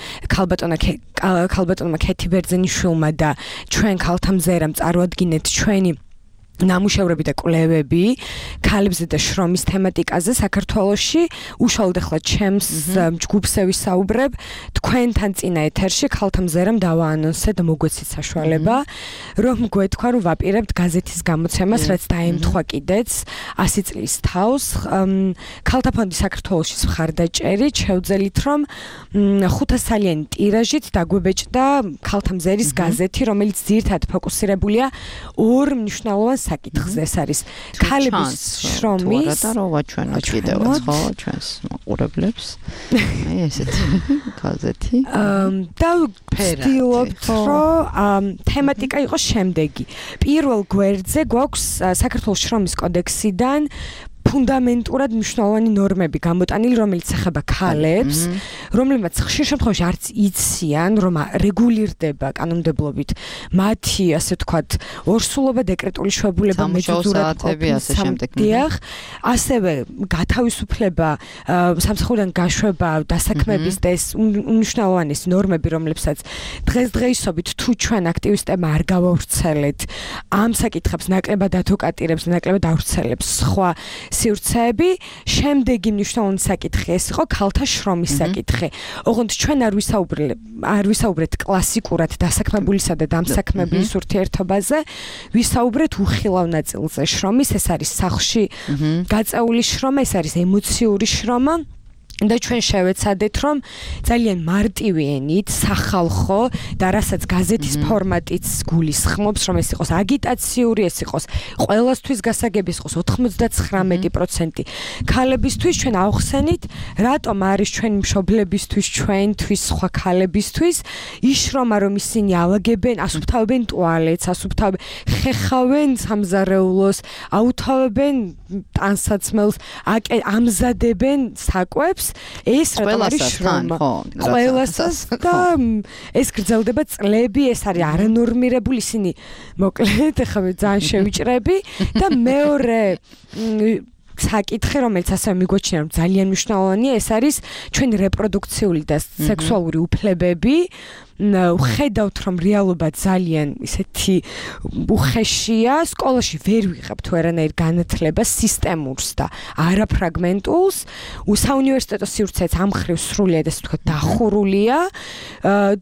ქალბატონმა ქეთი ბერძენიშვილმა და ჩვენ ქალთა მზერამ წარვადგინეთ ჩვენი ნამუშევრები და კვლევები ქალებზე და შრომის თემატიკაზე საქართველოში. უშუალოდ ახლა ჩემს ჯგუფზე ვისაუბრებ, თქვენთან წინა ეთერში ქალთა მზერამ დავაანონსე და მოგვეცით საშუალება, რომ გვეთქვა, რომ ვაპირებთ გაზეთის გამოცემას, რაც დაემთხვა კიდეც 100 წლის თავს. ქალთა ფონდი საქართველოში მხარდაჭერით შევძელით, რომ 500-სალიანი ტირაჟით დაგვებეჭდა ქალთა მზერის გაზეთი, რომელიც ძირითადად ფოკუსირებულია ორ მნიშვნელოვან საკითხზე. ეს არის ქალების შრომის და რო ვაჩვენოთ კიდევაც ხო ჩვენს მაყურებლებს. აი ესეთი გაზეთი. და ვცდილობთ, რომ თემატიკა იყოს შემდეგი. პირველ გვერდზე გვაქვს საქართველოს შრომის კოდექსიდან ფუნდამენტურად მნიშვნელოვანი ნორმები გამოტანილი, რომელიც ეხება ქალებს, რომლებმაც ხშირ შემთხვევაში არც იციან, რომ რეგულირდება კანონმდებლობით მათი, ასე ვთქვათ, ორსულობა, დეკრეტული შვებულება, მეძურად ყოფნა, ასევე გათავისუფლება, სამსახურიდან გაშვება, დასაქმების და ეს უნიშნავანესი ნორმები, რომლებსაც დღესდღეობით თუ ჩვენ აქტივისტებმა არ გავავრცელეთ, ამ საკითხებს ნაკლებად ადვოკატირებს, ნაკლებად ავრცელებს სხვა სივრცეები. შემდეგი მნიშვნელოვანი საკითხი ეს იყო ქალთა შრომის საკითხი. ოღონდ ჩვენ არ ვისაუბრეთ კლასიკურად დასაქმებულისა და დამსაქმებლის ურთიერთობაზე, ვისაუბრეთ უხილავ ნაწილზე შრომის, ეს არის სახლში გაწეული შრომა, ეს არის ემოციური შრომა. და ჩვენ შევეცადეთ, რომ ძალიან მარტივი ენით, სახალხო და რასაც გაზეთის ფორმატიც გულისხმობს, რომ ეს იყოს აგიტაციური, ეს იყოს ყველასთვის გასაგები, ეს იყოს 99% ქალებისთვის, ჩვენ ავხსენით, რატომ არის ჩვენი მშობლებისთვის, ჩვენთვის, სხვა ქალებისთვის ის შრომა, რომ ისინი ალაგებენ, ასუფთავებენ ტუალეტს, ხეხავენ სამზარეულოს, აუთავებენ ტანსაცმელს, ამზადებენ საკვებს. ეს რატომ არის შრომა? ყველასას და ეს გრძელდება წლები, ეს არის არანორმირებული, ისინი მოკლედ ახლა ძალიან შევიჭრები და მეორე საკითხი, რომელიც ასევე მიგვაჩნია, რომ ძალიან მნიშვნელოვანია, ეს არის ჩვენი რეპროდუქციული და სექსუალური უფლებები. ვხედავთ, რომ რეალობა ძალიან ისეთი უხეშია, სკოლაში ვერ ვიღებთ ვერანაირ განათლებას სისტემურს და არაფრაგმენტულს. საუნივერსიტეტო სივრცეც ამ მხრივ სრულიად ასე ვთქვათ დახურულია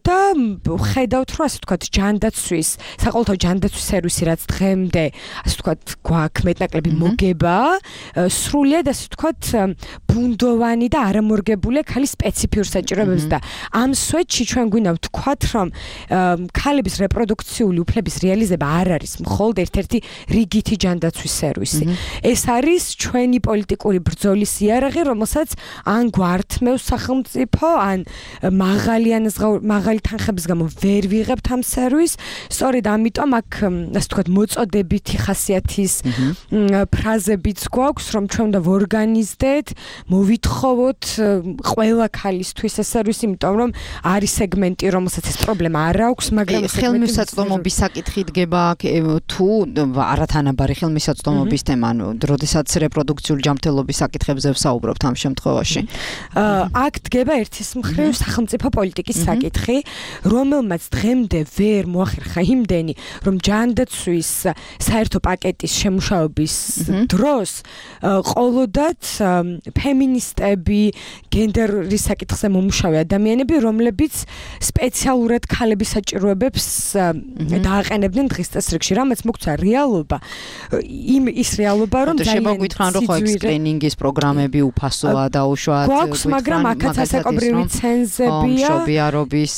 და ვხედავთ, რომ ასე ვთქვათ ჯანდაცვის, საყოველთაო ჯანდაცვის სერვისი, რაც დღემდე ასე ვთქვათ გვაქვს მეტნაკლები მოგება, სრულიად ასე ვთქვათ ბუნდოვანი და არამორგებულია ქალის სპეციფიურ საჭიროებებს და ამ სვეტში ჩვენ გვინდა ვთქვათ, რომ ქალების რეპროდუქციული უფლების რეალიზება არ არის მხოლოდ ერთ-ერთი რიგითი ჯანდაცვის სერვისი. ეს არის ჩვენი პოლიტიკური ბრძოლის იარაღი, რომელსაც ან გვართმევს სახელმწიფო, ან მაღალი თანხების გამო ვერ ვიღებთ ამ სერვისს. სწორედ ამიტომ აქ ასე ვთქვათ მოწოდებითი ხასიათის ფრაზებიც გვაქვს, რომ ჩვენ უნდა ვორგანიზდეთ, მოვითხოვოთ ყველა ქალისთვის ეს სერვისი, იმიტომ რომ არის სეგმენტი, რომელსაც ეს პრობლემა არ აქვს, მაგრამ ხელმისაწვდომობის საკითხი დგება თუ არათანაბარი ხელმისაწვდომობის თემა, ანუ როდესაც რეპროდუქციული ჯანმრთელობის საკითხებზე ვსაუბრობთ ამ შემთხვევაში. აქ დგება ერთის მხრივ სახელმწიფო პოლიტიკის საკითხი, რომელმაც დღემდე ვერ მოახერხა იმდენი, რომ ჯანდაცვის საერთო პაკეტის შემუშავების დროს ყოლოდათ ფემინისტები, გენდერის საკითხზე მომუშავე ადამიანები, რომლებიც სპეციალურად ქალების საჭიროებებს დააყენებდნენ დღის წესრიგში, რამაც მოგცა რეალობა. ის რეალობა, რომ ძალიან შემოგვითხან, რომ ხო ექსკრინინგის პროგრამები უფასოა დაუშვათ. გვაქვს, მაგრამ აქაც ასაკობრივი ცენზებია. მშობიარობის,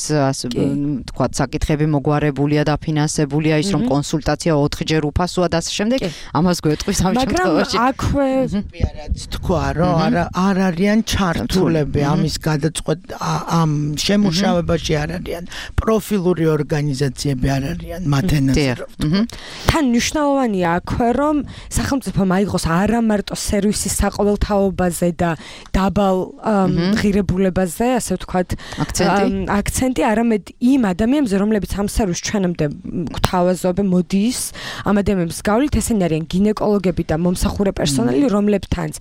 თქვა, საკითხები მოგვარებულია, დაფინანსებულია, ის რომ კონსულტაცია 4-ჯერ უფასოა და ასე შემდეგ. ამას გვეტყვის ამ შემთხვევაში. მაგრამ აქვე რაც თქვა, რომ არ არიან ჩართულები ამის გადაწყვეტ ამ შემუშავებაში არ არიან პროფილური ორგანიზაციები არ არიან მათ ენაზე. თან მნიშვნელოვანია აქვე, რომ სახელმწიფომ აიღოს არა მარტო სერვისის საყოველთაობაზე და დაბალ ღირებულებაზე, ასე ვთქვათ, აქცენტი, არამედ იმ ადამიანებზე, რომლებიც ამ სერვისს ჩვენამდე გვთავაზობენ, მოდის, ამ ადამიანებს გავლით, ესენი არიან გინეკოლოგები და მომსახურე პერსონალი, რომლებთანაც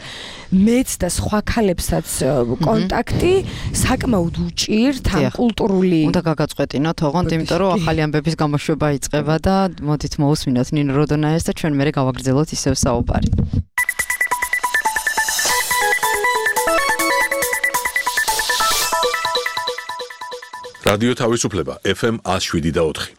მეც და სხვა ქალებსაც კონტაქტი საკმაოდ უჭირთ ამ კულტურული. უნდა გაგაწყვეტინოთ, ოღონდ, იმიტომ რომ ახალი ამბების გამოშვება იწყება და მოდით მოусმინოთ ნინო როდონაიას და ჩვენ მერე გავაგრძელოთ ისევ საუბარი. რადიო თავისუფლება FM 107.4.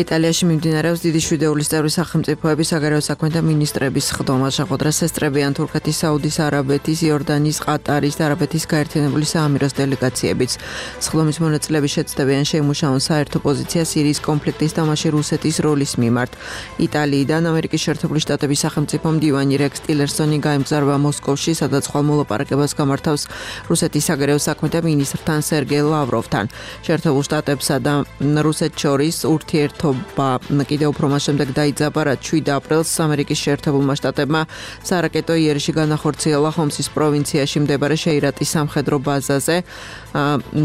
იტალიაში მიმდინარეობს დიდი შვიდეულის წევრი სახელმწიფოების საგარეო საქმეთა მინისტრების სხდომა. შეხვედრას ესწრებიან თურქეთის, საუდის არაბეთის, იორდანიის, ყატარის და არაბეთის გაერთიანებული საამიროს დელეგაციებიც. სხდომის მონაწილეები შეცდებიან შეიმუშაონ საერთო პოზიცია სირიის კონფლიქტის და მასში რუსეთის როლის მიმართ. იტალიიდან ამერიკის შეერთებული შტატების სახელმწიფო მდივანი რექს ტილერსონი გაემგზავრება მოსკოვში, სადაც ხვალ მოლაპარაკებას გამართავს რუსეთის საგარეო საქმეთა მინისტრთან სერგეი ლავროვთან. შეერთებულ შტატებსა და რუსეთს შორის ურთიერთობა კიდევ უფრო მას შემდეგ დაიძაბა, რაც 7 აპრილს ამერიკის შეერთებულმა შტატებმა სარაკეტო იერიში განახორციელა ჰომსის პროვინციაში მდებარე შეირატის სამხედრო ბაზაზე,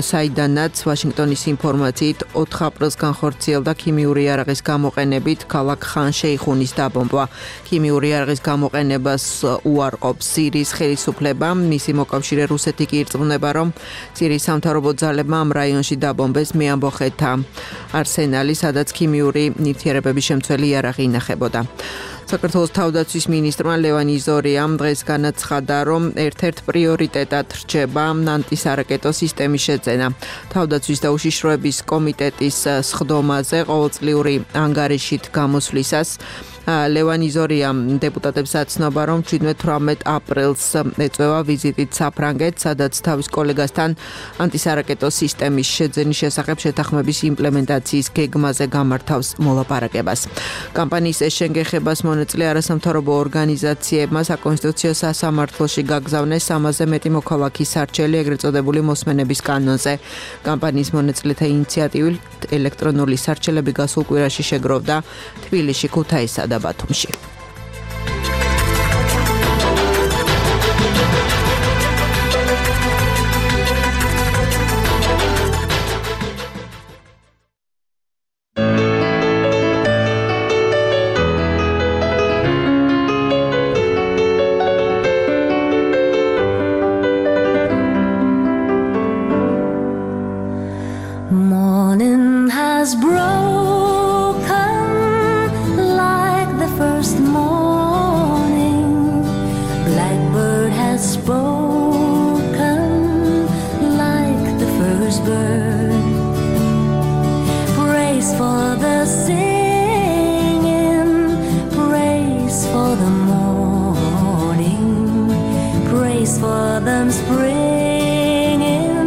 საიდანაც ვაშინგტონის ინფორმაციით 4 აპრილს განხორციელდა ქიმიური იარაღის გამოყენებით ქალაქ ხან შეიხუნის დაბომბვა. ქიმიური იარაღის გამოყენებას უარყოფს სირიის ხელისუფლება, მისი მოკავშირე რუსეთი კი ირწმუნება, რომ სირიის სამთავრობო ძალებმა ამ რაიონში დაბომბეს მეამბოხეთა არსენალი, სადაც ქიმიური ნივთიერებების შემცველი იარაღი ინახებოდა. საქართველოს თავდაცვის მინისტრმა ლევან იზორიამ დღეს განაცხადა, რომ ერთ-ერთ პრიორიტეტად რჩება ანტისარაკეტო სისტემის შეძენა. თავდაცვის და უშიშროების კომიტეტის სხდომაზე ყოველწლიური ანგარიშით გამოსვლისას ლევან იზორიამ დეპუტატებს აცნობა, რომ 17-18 აპრილს ეწევა ვიზიტით საფრანგეთს, სადაც თავის კოლეგასთან ანტისარაკეტო სისტემის შეძენის შესახებ შეთანხმების იმპლემენტაციის გეგმაზე გამართავს მოლაპარაკებას. კამპანიის ეს შენგეხებას მონაწილე არასამთავრობო ორგანიზაციებმა საკონსტიტუციო სასამართლოში გაგზავნეს 300-ზე მეტი მოქალაქის სარჩელი ეგრეთ წოდებული მოსმენების კანონზე. კამპანიის მონაწილეთა ინიციატივით ელექტრონული სარჩელები გასულ კვირაში შეგროვდა თბილისში, ქუთაისსა და ბათუმში. Morning has broken like the first morning. Blackbird has spoken like the first bird. Praise for the singing, praise for the morning, praise for them springing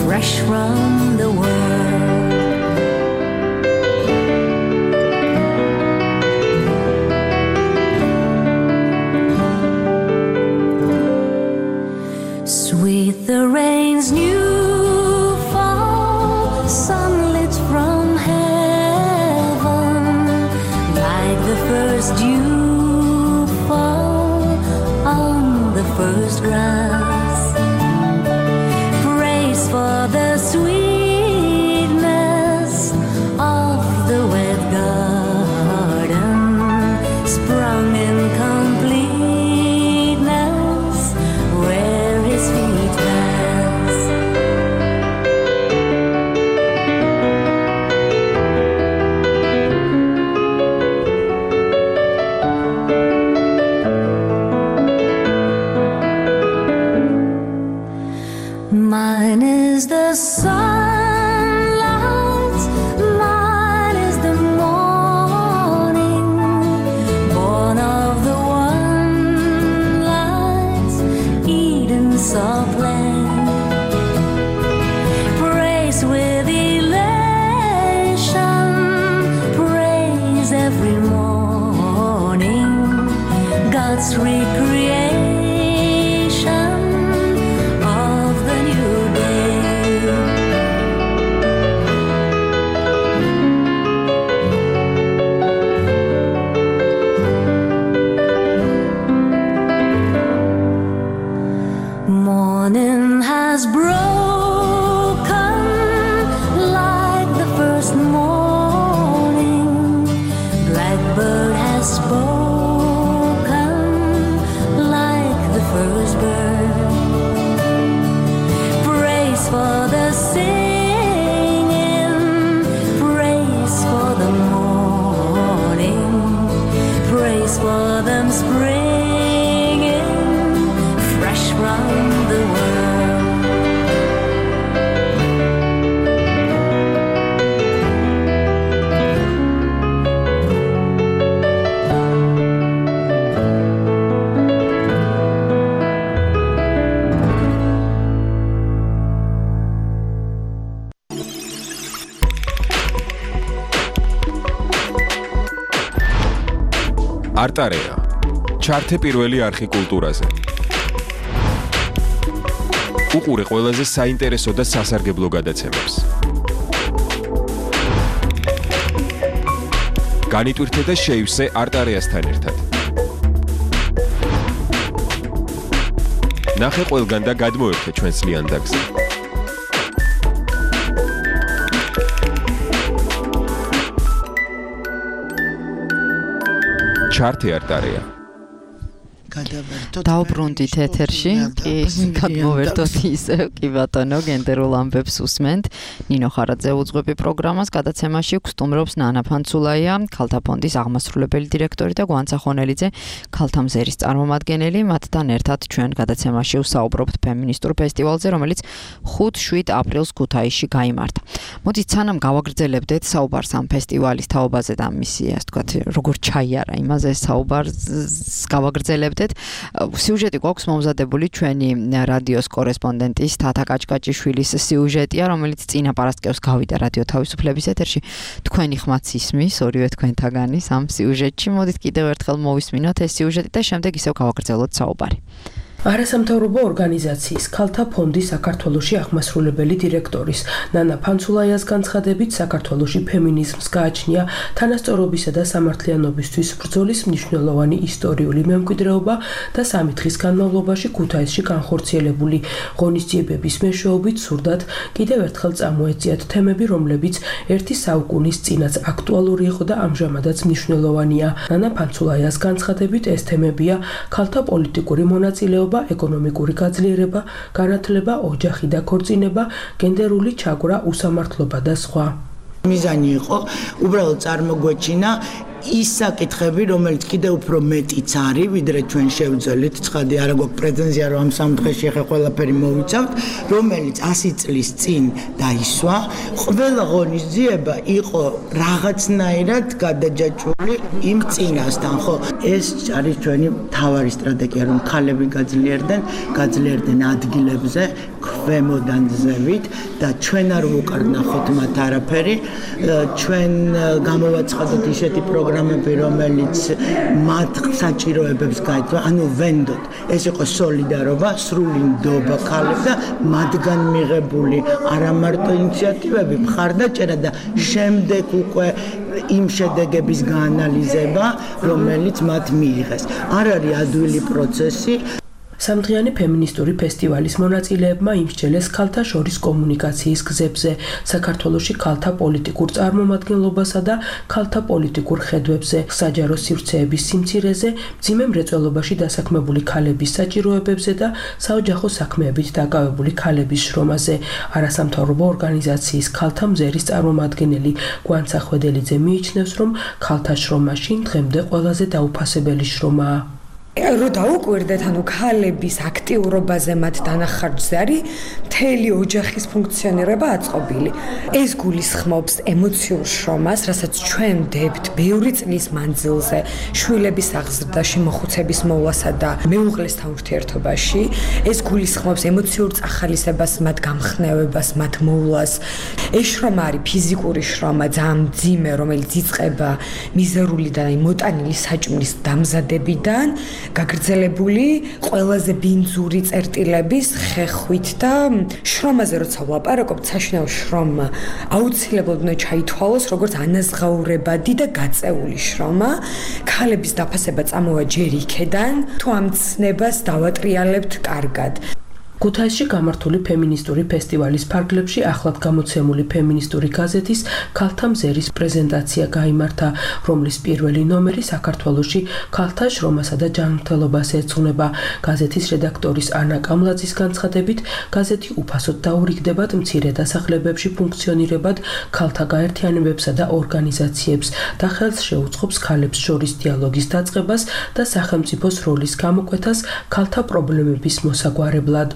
fresh from the world. Sweet the rain's new fall, sunlit from heaven, like the first dew fall on the first grass. Praise for the sweetness of the wet garden, sprung in completeness where his feet pass. Mine is the sunlight, mine is the morning, born of the one light, Eden soft land, praise with elation, praise every morning, God's recreation of the new day. Morning has broken like the first morning, blackbird has spoken like the first bird. Praise for the singing, praise for the morning, praise for them springing fresh from the world. არტარეა. ჩართე პირველი არხი კულტურაზე. უყურე ყველაზე საინტერესო და სასარგებლო გადაცემებს. განიტვირთე და შეივსე არტარეასთან ერთად. ნახე ყველგან და გადმოერთე ჩვენს ლიანდაგზე. ჩართე არტარეა. დავბრუნდით ეთერში, კი, გადმოვერთოთ ისევ, კი ბატონო, გენდერულ ამბებს უსმენთ. ნინო ხარაძე უძღვები პროგრამას, გადაცემაში გსტუმრობს ნანა ფანცულაია, ქალთა ფონდის აღმასრულებელი დირექტორი და გვანცა ხონელიძე, ქალთა მზერის წარმომადგენელი. მათთან ერთად ჩვენ გადაცემაში ვსაუბრობთ ფემინისტურ ფესტივალზე, რომელიც 5-7 აპრილს ქუთაისში გაიმართა. მოდით სანამ გავაგრძელებდეთ საუბარს ამ ფესტივალის თაობაზე და მისი, ასე ვთქვათ, როგორ ჩაიარა იმაზე საუბარს გავაგრძელებდეთ. სიუჟეტი გვაქვს მომზადებული ჩვენი რადიოს კორესპონდენტის თათა კაჭკაჭიშვილის სიუჟეტია, რომელიც წინა პარასკევს გავიდა რადიო თავისუფლების ეთერში. თქვენი ხმაც ისმის, ორივე თქვენთაგანის ამ სიუჟეტში. მოდით კიდევ ერთხელ მოვისმინოთ ეს სიუჟეტი და შემდეგ ისევ გავაგრძელოთ საუბარი. არასამთავრობო ორგანიზაციის ქალთა ფონდის საქართველოში აღმასრულებელი დირექტორის ნანა ფანცულაიას განცხადებით, საქართველოში ფემინიზმს გააჩნია თანასწორობისა და სამართლიანობისთვის ბრძოლის მნიშვნელოვანი ისტორიული მემკვიდრეობა და 3 დღის განმავლობაში ქუთაისში განხორციელებული ღონისძიებების მეშვეობით სურდათ კიდევ ერთხელ წამოეწიათ თემები, რომლებიც ერთი საუკუნის წინაც აქტუალური იყო და ამჟამადაც მნიშვნელოვანია. ნანა ფანცულაიას განცხადებით, ეს თემებია ქალთა პოლიტიკური მონაწილეობა, ეკონომიკური გაძლიერება, განათლება, ოჯახი და ქორწინება, გენდერული ჩაგვრა, უსამართლობა და სხვა. მიზანი იყო უბრალოდ წარმოგვეჩინა ის საკითხები, რომელიც კიდევ უფრო მეტიც არის, ვიდრე ჩვენ შევძელით, ცხადი არა გვაქვს პრეტენზია, რომ ამ 3 დღეში ახლა ყველაფერი მოვიცავთ, რომელიც 100 წლის წინ დაისვა. ყველა ღონისძიება იყო რაღაცნაირად გადაჯაჭვული იმ წინასთან, ხო? ეს არის ჩვენი მთავარი სტრატეგია, რომ ქალები გაძლიერდნენ ადგილებზე, ქვემოდან ზევით და ჩვენ არ ვუკარნახოთ მათ არაფერი. ჩვენ გამოვაცხადოთ ისეთი პროგრამები, რომელიც მათ საჭიროებებს გაეცვა, ანუ ვენდოთ. ეს იყო სოლიდარობა, სრული ნდობა ქალებს და მათგან მიღებული არა მარტო ინიციატივები, მხარდაჭერა და შემდეგ უკვე იმ შედეგების გაანალიზება, რომელიც მათ მიიღეს. არ არის ადვილი პროცესი. სამდღიანი ფემინისტური ფესტივალის მონაწილეებმა იმსჯელეს ქალთა შორის კომუნიკაციის გზებზე, საქართველოში ქალთა პოლიტიკურ წარმომადგენლობასა და ქალთა პოლიტიკურ ხედვებზე, საჯარო სივრცეების სიმცირეზე, მძიმე მრეწველობაში დასაქმებული ქალების საჭიროებებზე და საოჯახო საქმეებით დაკავებული ქალების შრომაზე. არასამთავრობო ორგანიზაციის ქალთა მზერის წარმომადგენელი გვანცა ხვედელიძე მიიჩნევს, რომ ქალთა შრომა შინ დღემდე ყველაზე დაუფასებელი შრომაა. რო დაუკვირდეთ, ანუ ქალების აქტიურობაზე მათ დანახარჯზე არის მთელი ოჯახის ფუნქციონირება აწყობილი. ეს გულისხმობს ემოციურ შრომას, რასაც ჩვენ ვდებთ ბევრი წლის მანძილზე, შვილების აღზრდაში, მოხუცების მოვლასა და მეუღლესთან ურთიერთობაში. ეს გულისხმობს ემოციურ წახალისებას, მათ გამხნევებას, მათ მოვლას. ეს შრომა არის ფიზიკური შრომა, ძალიან მძიმე, რომელიც იწყება მიზერული და მოტანილი საჭმლის დამზადებიდან, გაგრძელებული ყველაზე ბინძური წერტილების ხეხვით და შრომაზე როცა ვლაპარაკობთ, საშინაო შრომა აუცილებლად უნდა ჩაითვალოს როგორც ანაზღაურებადი და გაწეული შრომა. ქალების დაფასება წამოვა ჯერ იქედან, თუ ამ ცნებას დავატრიალებთ კარგად. ქუთაისში გამართული ფემინისტური ფესტივალის ფარგლებში ახლად გამოცემული ფემინისტური გაზეთის ქალთა მზერის პრეზენტაცია გაიმართა, რომლის პირველი ნომერი საქართველოში ქალთა შრომასა და ჯანმრთელობას ეძღვნება. გაზეთის რედაქტორის ანა კამლაძის განცხადებით, გაზეთი უფასოდ დაურიგდებათ მცირე დასახლებებში ფუნქციონირებად ქალთა გაერთიანებებსა და ორგანიზაციებს და ხელს შეუწყობს ქალებს შორის დიალოგის დაწყებას და სახელმწიფოს როლის გამოკვეთას ქალთა პრობლემების მოსაგვარებლად.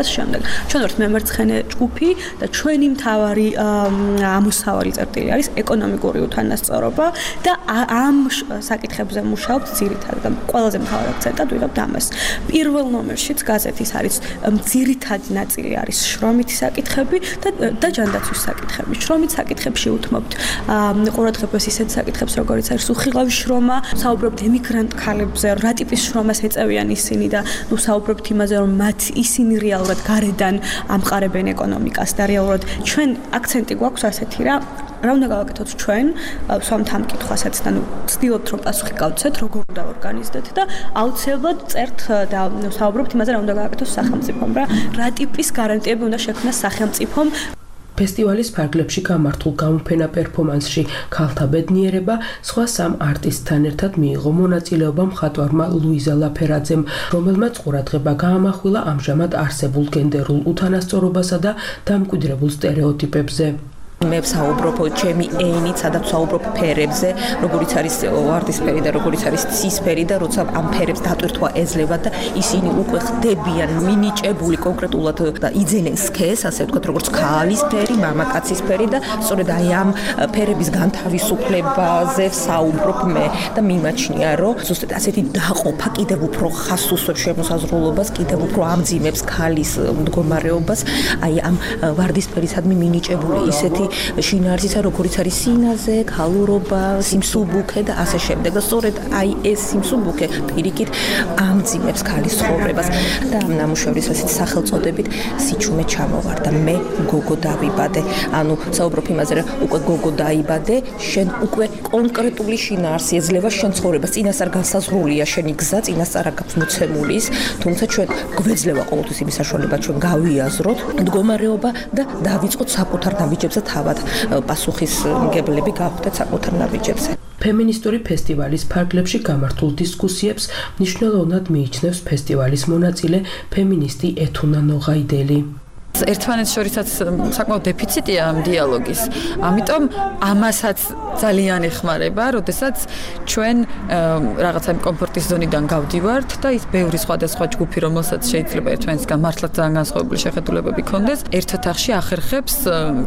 შემდეგ ჩვენ ვართ მემარცხენე ჯგუფი და ჩვენი მთავარი ამოსავალი წერტილი არის ეკონომიკური უთანასწორობა და ამ საკითხებზე მუშაობთ ძირითადად და ყველაზე მთავარ აქცენტად ვიღებთ ამას. პირველ ნომერშიც გაზეთის არის ძირითადი ნაწილი არის შრომითი საკითხები და ჯანდაცვის საკითხები. შრომით საკითხებში უთმობთ ყურადღებას ისეთ საკითხებს, როგორიც არის უხილავი შრომა, საუბრობთ ემიგრანტ ქალებზე, რა ტიპის შრომას ეწევიან ისინი და საუბრობთ იმაზე, რომ მათ ისინი რეალურად გარედან ამყარებენ ეკონომიკას და რეალურად ჩვენ აქცენტი გვაქვს ასეთი რა უნდა გავაკეთოთ ჩვენ სვამთ ამ კითხვასაც და ვცდილობთ რომ პასუხი გავცეთ როგორ უნდა ორგანიზდეთ და აუცილებლად წერთ და საუბრობთ იმაზე რა უნდა გავაკეთოს სახელმწიფომ რა ტიპის გარანტიები უნდა შექმნას სახელმწიფომ. ფესტივალის ფარგლებში გამართულ გამოფენა პერფორმანსში ქალთა ბედნიერება სხვა სამ არტისტთან ერთად მიიღო მონაწილეობა მხატვარმა ლუიზა ლაფერაძემ, რომელმაც ყურადღება გაამახვილა ამჟამად არსებულ გენდერულ უთანასწორობასა და დამკვიდრებულ სტერეოტიპებზე. მე ვსაუბრობ ჩემი ენით, სადაც ვსაუბრობ ფერებზე, როგორიც არის ვარდისფერი და როგორიც არის ცისფერი და როცა ამ ფერებს დატვირთვა ეძლევა და ისინი უკვე ხდებიან მინიჭებული კონკრეტულად და იძენენ სქეს, ასე ვთქვათ, როგორც ქალის ფერი, მამაკაცის ფერი და სწორედ აი ამ ფერების განთავისუფლებაზე ვსაუბრობ მე და მიმაჩნია, რომ ზუსტად ასეთი დაყოფა კიდევ უფრო ხასუსობს შემოსაზღვრულობას, კიდევ უფრო ამძიმებს ქალის მდგომარეობას, აი ამ ვარდისფერისადმი მინიჭებული ისეთი შინაარსისა, როგორიც არის სინაზე, ქალურობა, სიმსუბუქე და ასე შემდეგ. და სწორედ აი ეს სიმსუბუქე პირიქით ამძიმებს ქალის ცხოვრებას და ამ ნამუშევრის ასეთ სახელწოდებით სიჩუმე ჩამოვარდა. მე გოგო დავიბადე. ანუ საუბრობ იმაზე, რომ უკვე გოგო დაიბადე, შენ უკვე კონკრეტული შინაარსი ეძლევა შენ ცხოვრებას. წინასწარ განსაზღვრულია შენი გზა, წინასწარ აქვს მოცემული ის, თუმცა ჩვენ გვეძლევა ყოველთვის იმის საშუალება, ჩვენ გავიაზროთ მდგომარეობა და დავიწყოთ საკუთარ ნაბიჯებზე თავად პასუხისმგებლები გავხდეთ საკუთარ ნაბიჯებზე. ფემინისტური ფესტივალის ფარგლებში გამართულ დისკუსიებს მნიშვნელოვნად მიიჩნევს ფესტივალის მონაწილე ფემინისტი ეთუნა ნოღაიდელი. ერთმანეთს შორისაც საკმაოდ დეფიციტია ამ დიალოგის. ამიტომ ამასაც ძალიან ეხმარება, როდესაც ჩვენ რაღაცა კომფორტის ზონიდან გავდივართ და ის ბევრი სხვადასხვა ჯგუფი, რომელსაც შეიძლება ერთმანეთსგან მართლაც ძალიან განსხვავებული შეხედულებები ქონდეს, ერთ ოთახში ახერხებს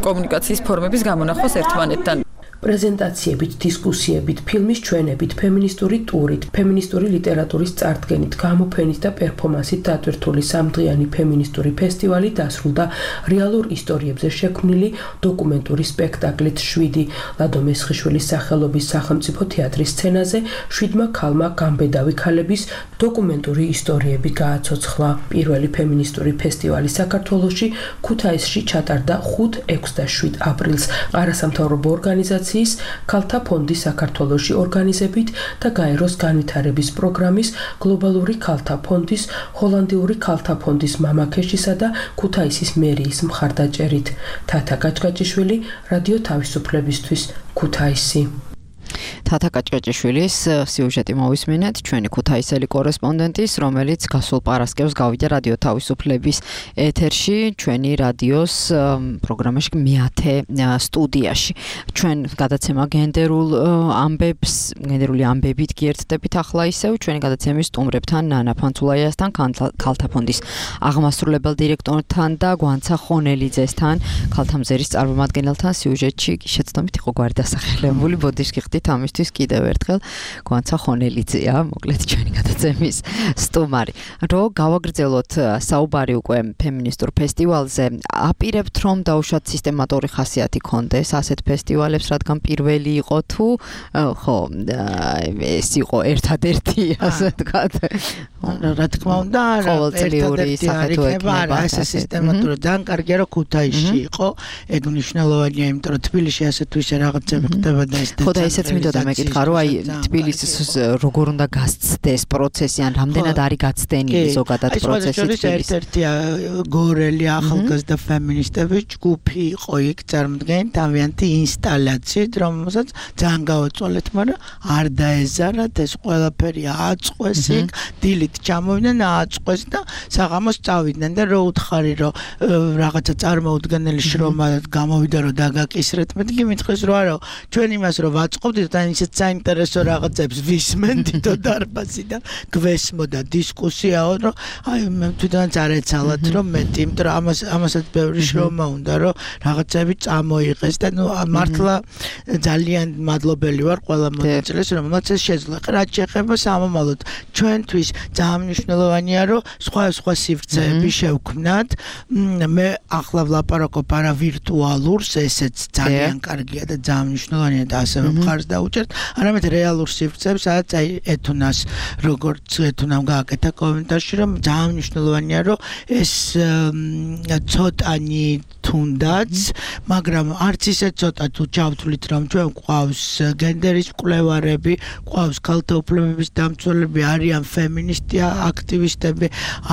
კომუნიკაციის ფორმების გამონახვას ერთმანეთთან. პრეზენტაციებით, დისკუსიებით, ფილმის ჩვენებით, ფემინისტური ტურით, ფემინისტური ლიტერატურის წარდგენით, გამოფენით და პერფორმანსით დატვირთული სამდღიანი ფემინისტური ფესტივალი დასრულდა რეალურ ისტორიებზე შექმნილი დოკუმენტური სპექტაკლით 7 ლადო მესხიშვილის სახელობის სახელმწიფო თეატრის სცენაზე 7 ქალმა გამბედავი ქალების დოკუმენტური ისტორიები გააცოცხლა. პირველი ფემინისტური ფესტივალი საქართველოში ქუთაისში ჩატარდა 5, 6 და 7 აპრილს არასამთავრობო ორგანიზაციის ქალთა ფონდი საქართველოში ორგანიზებით და გაეროს განვითარების პროგრამის გლობალური ქალთა ფონდის, ჰოლანდიური ქალთა ფონდის მამაქეშისა და ქუთაისის მერიის მხარდაჭერით. თათა გაჭგაჭიშვილი, რადიო თავისუფლებისთვის, ქუთაისი. თათა კაჭკაჭიშვილის სიუჟეტი მოვისმინეთ ჩვენი ქუთაისელი კორესპონდენტის, რომელიც გასულ პარასკევს გავიდა რადიო თავისუფლების ეთერში, ჩვენი რადიოს პროგრამაში მე-10 სტუდიაში. ჩვენ გადაცემა გენდერული ამბებით გიერთდებით ახლა ისევ ჩვენი გადაცემის სტუმრებთან ნანა ფანცულაიასთან, ქალთა ფონდის აღმასრულებელ დირექტორთან და გვანცა ხონელიძესთან, ქალთა მზერის წარმომადგენელთან სიუჟეტში შეცდომით იყო გვარი დასახელებული, ბოდიშ გიხდით ამისთვის კიდევ ერთხელ გვანცა ხონელიძეა, მოკლედ ჩვენი გადაცემის სტუმარი. რო გავაგრძელოთ საუბარი უკვე ფემინისტურ ფესტივალზე, აპირებთ რომ დაუშვათ სისტემატური ხასიათი კონდეს ასეთ ფესტივალებს, რადგან პირველი იყო თუ ხო ეს იყო ერთადერთი ასე ვთქვათ. რა თქმა უნდა, ყოველწლიური საფეთო ექნება, ეს სისტემატური ძალიან კარგია რომ ქუთაისში იყო, ეგ მნიშვნელოვანია, იმიტომ რომ თბილისში ასე თუ ისე რაღაცები ხდება და ეს ხო და ესეც მინდოდა მეკითხა, რომ აი თბილისის როგორ უნდა გასცდეს პროცესი, ან რამდენად არის გაცდენილი ზოგადად პროცესი თბილისში. ერთ-ერთია გორელი ახალგაზრდა ფემინისტების ჯგუფი იყო იქ წარმოდგენილი თავიანთი ინსტალაციით, რომელსაც ძალიან გავაწვალეთ, მაგრამ არ დაეზარათ, ეს ყველაფერი ააწყვეს იქ, დილით ჩამოვიდნენ, ააწყვეს და საღამოს წავიდნენ და რო უთხარი, რომ რაღაცა წარმოუდგენელი შრომა გამოვიდა, რომ დაგაკისრეთ, მეთქი მითხეს, რომ არა, ჩვენ იმას რომ ვაწყობდით და ისეთ საინტერესო რაღაცებს ვისმენდით დარბაზიდან, გვესმოდა დისკუსიაო, რომ აი მე თვითონაც არ ეცალათ, რომ მეტი, იმიტომ რომ ამასაც ბევრი შრომა უნდა, რომ რაღაცები წამოიღეს და ნუ მართლა ძალიან მადლობელი ვარ ყველა მონაწილეს, რომელმაც ეს შეძლო. რაც შეეხება სამომავლოდ, ჩვენთვის ძალიან მნიშვნელოვანია, რომ სხვა სივრცეები შევქმნათ. მე ახლა ვლაპარაკობ არა ვირტუალურს, ესეც ძალიან კარგია და ძალიან მნიშვნელოვანია და ასევე მხარს დაუჭერთ, არამედ რეალურ სივრცეებს, სადაც აი ეთუნას, როგორც ეთუნამ გააკეთა კომენტარში, რომ ძალიან მნიშვნელოვანია, რომ ეს ცოტანი თუნდაც, მაგრამ არც ისე ცოტა თუ ჩავთვლით, რომ ჩვენ გვყავს გენდერის მკვლევარები, გვყავს ქალთა უფლებების დამცველები, არიან ფემინისტი აქტივისტები,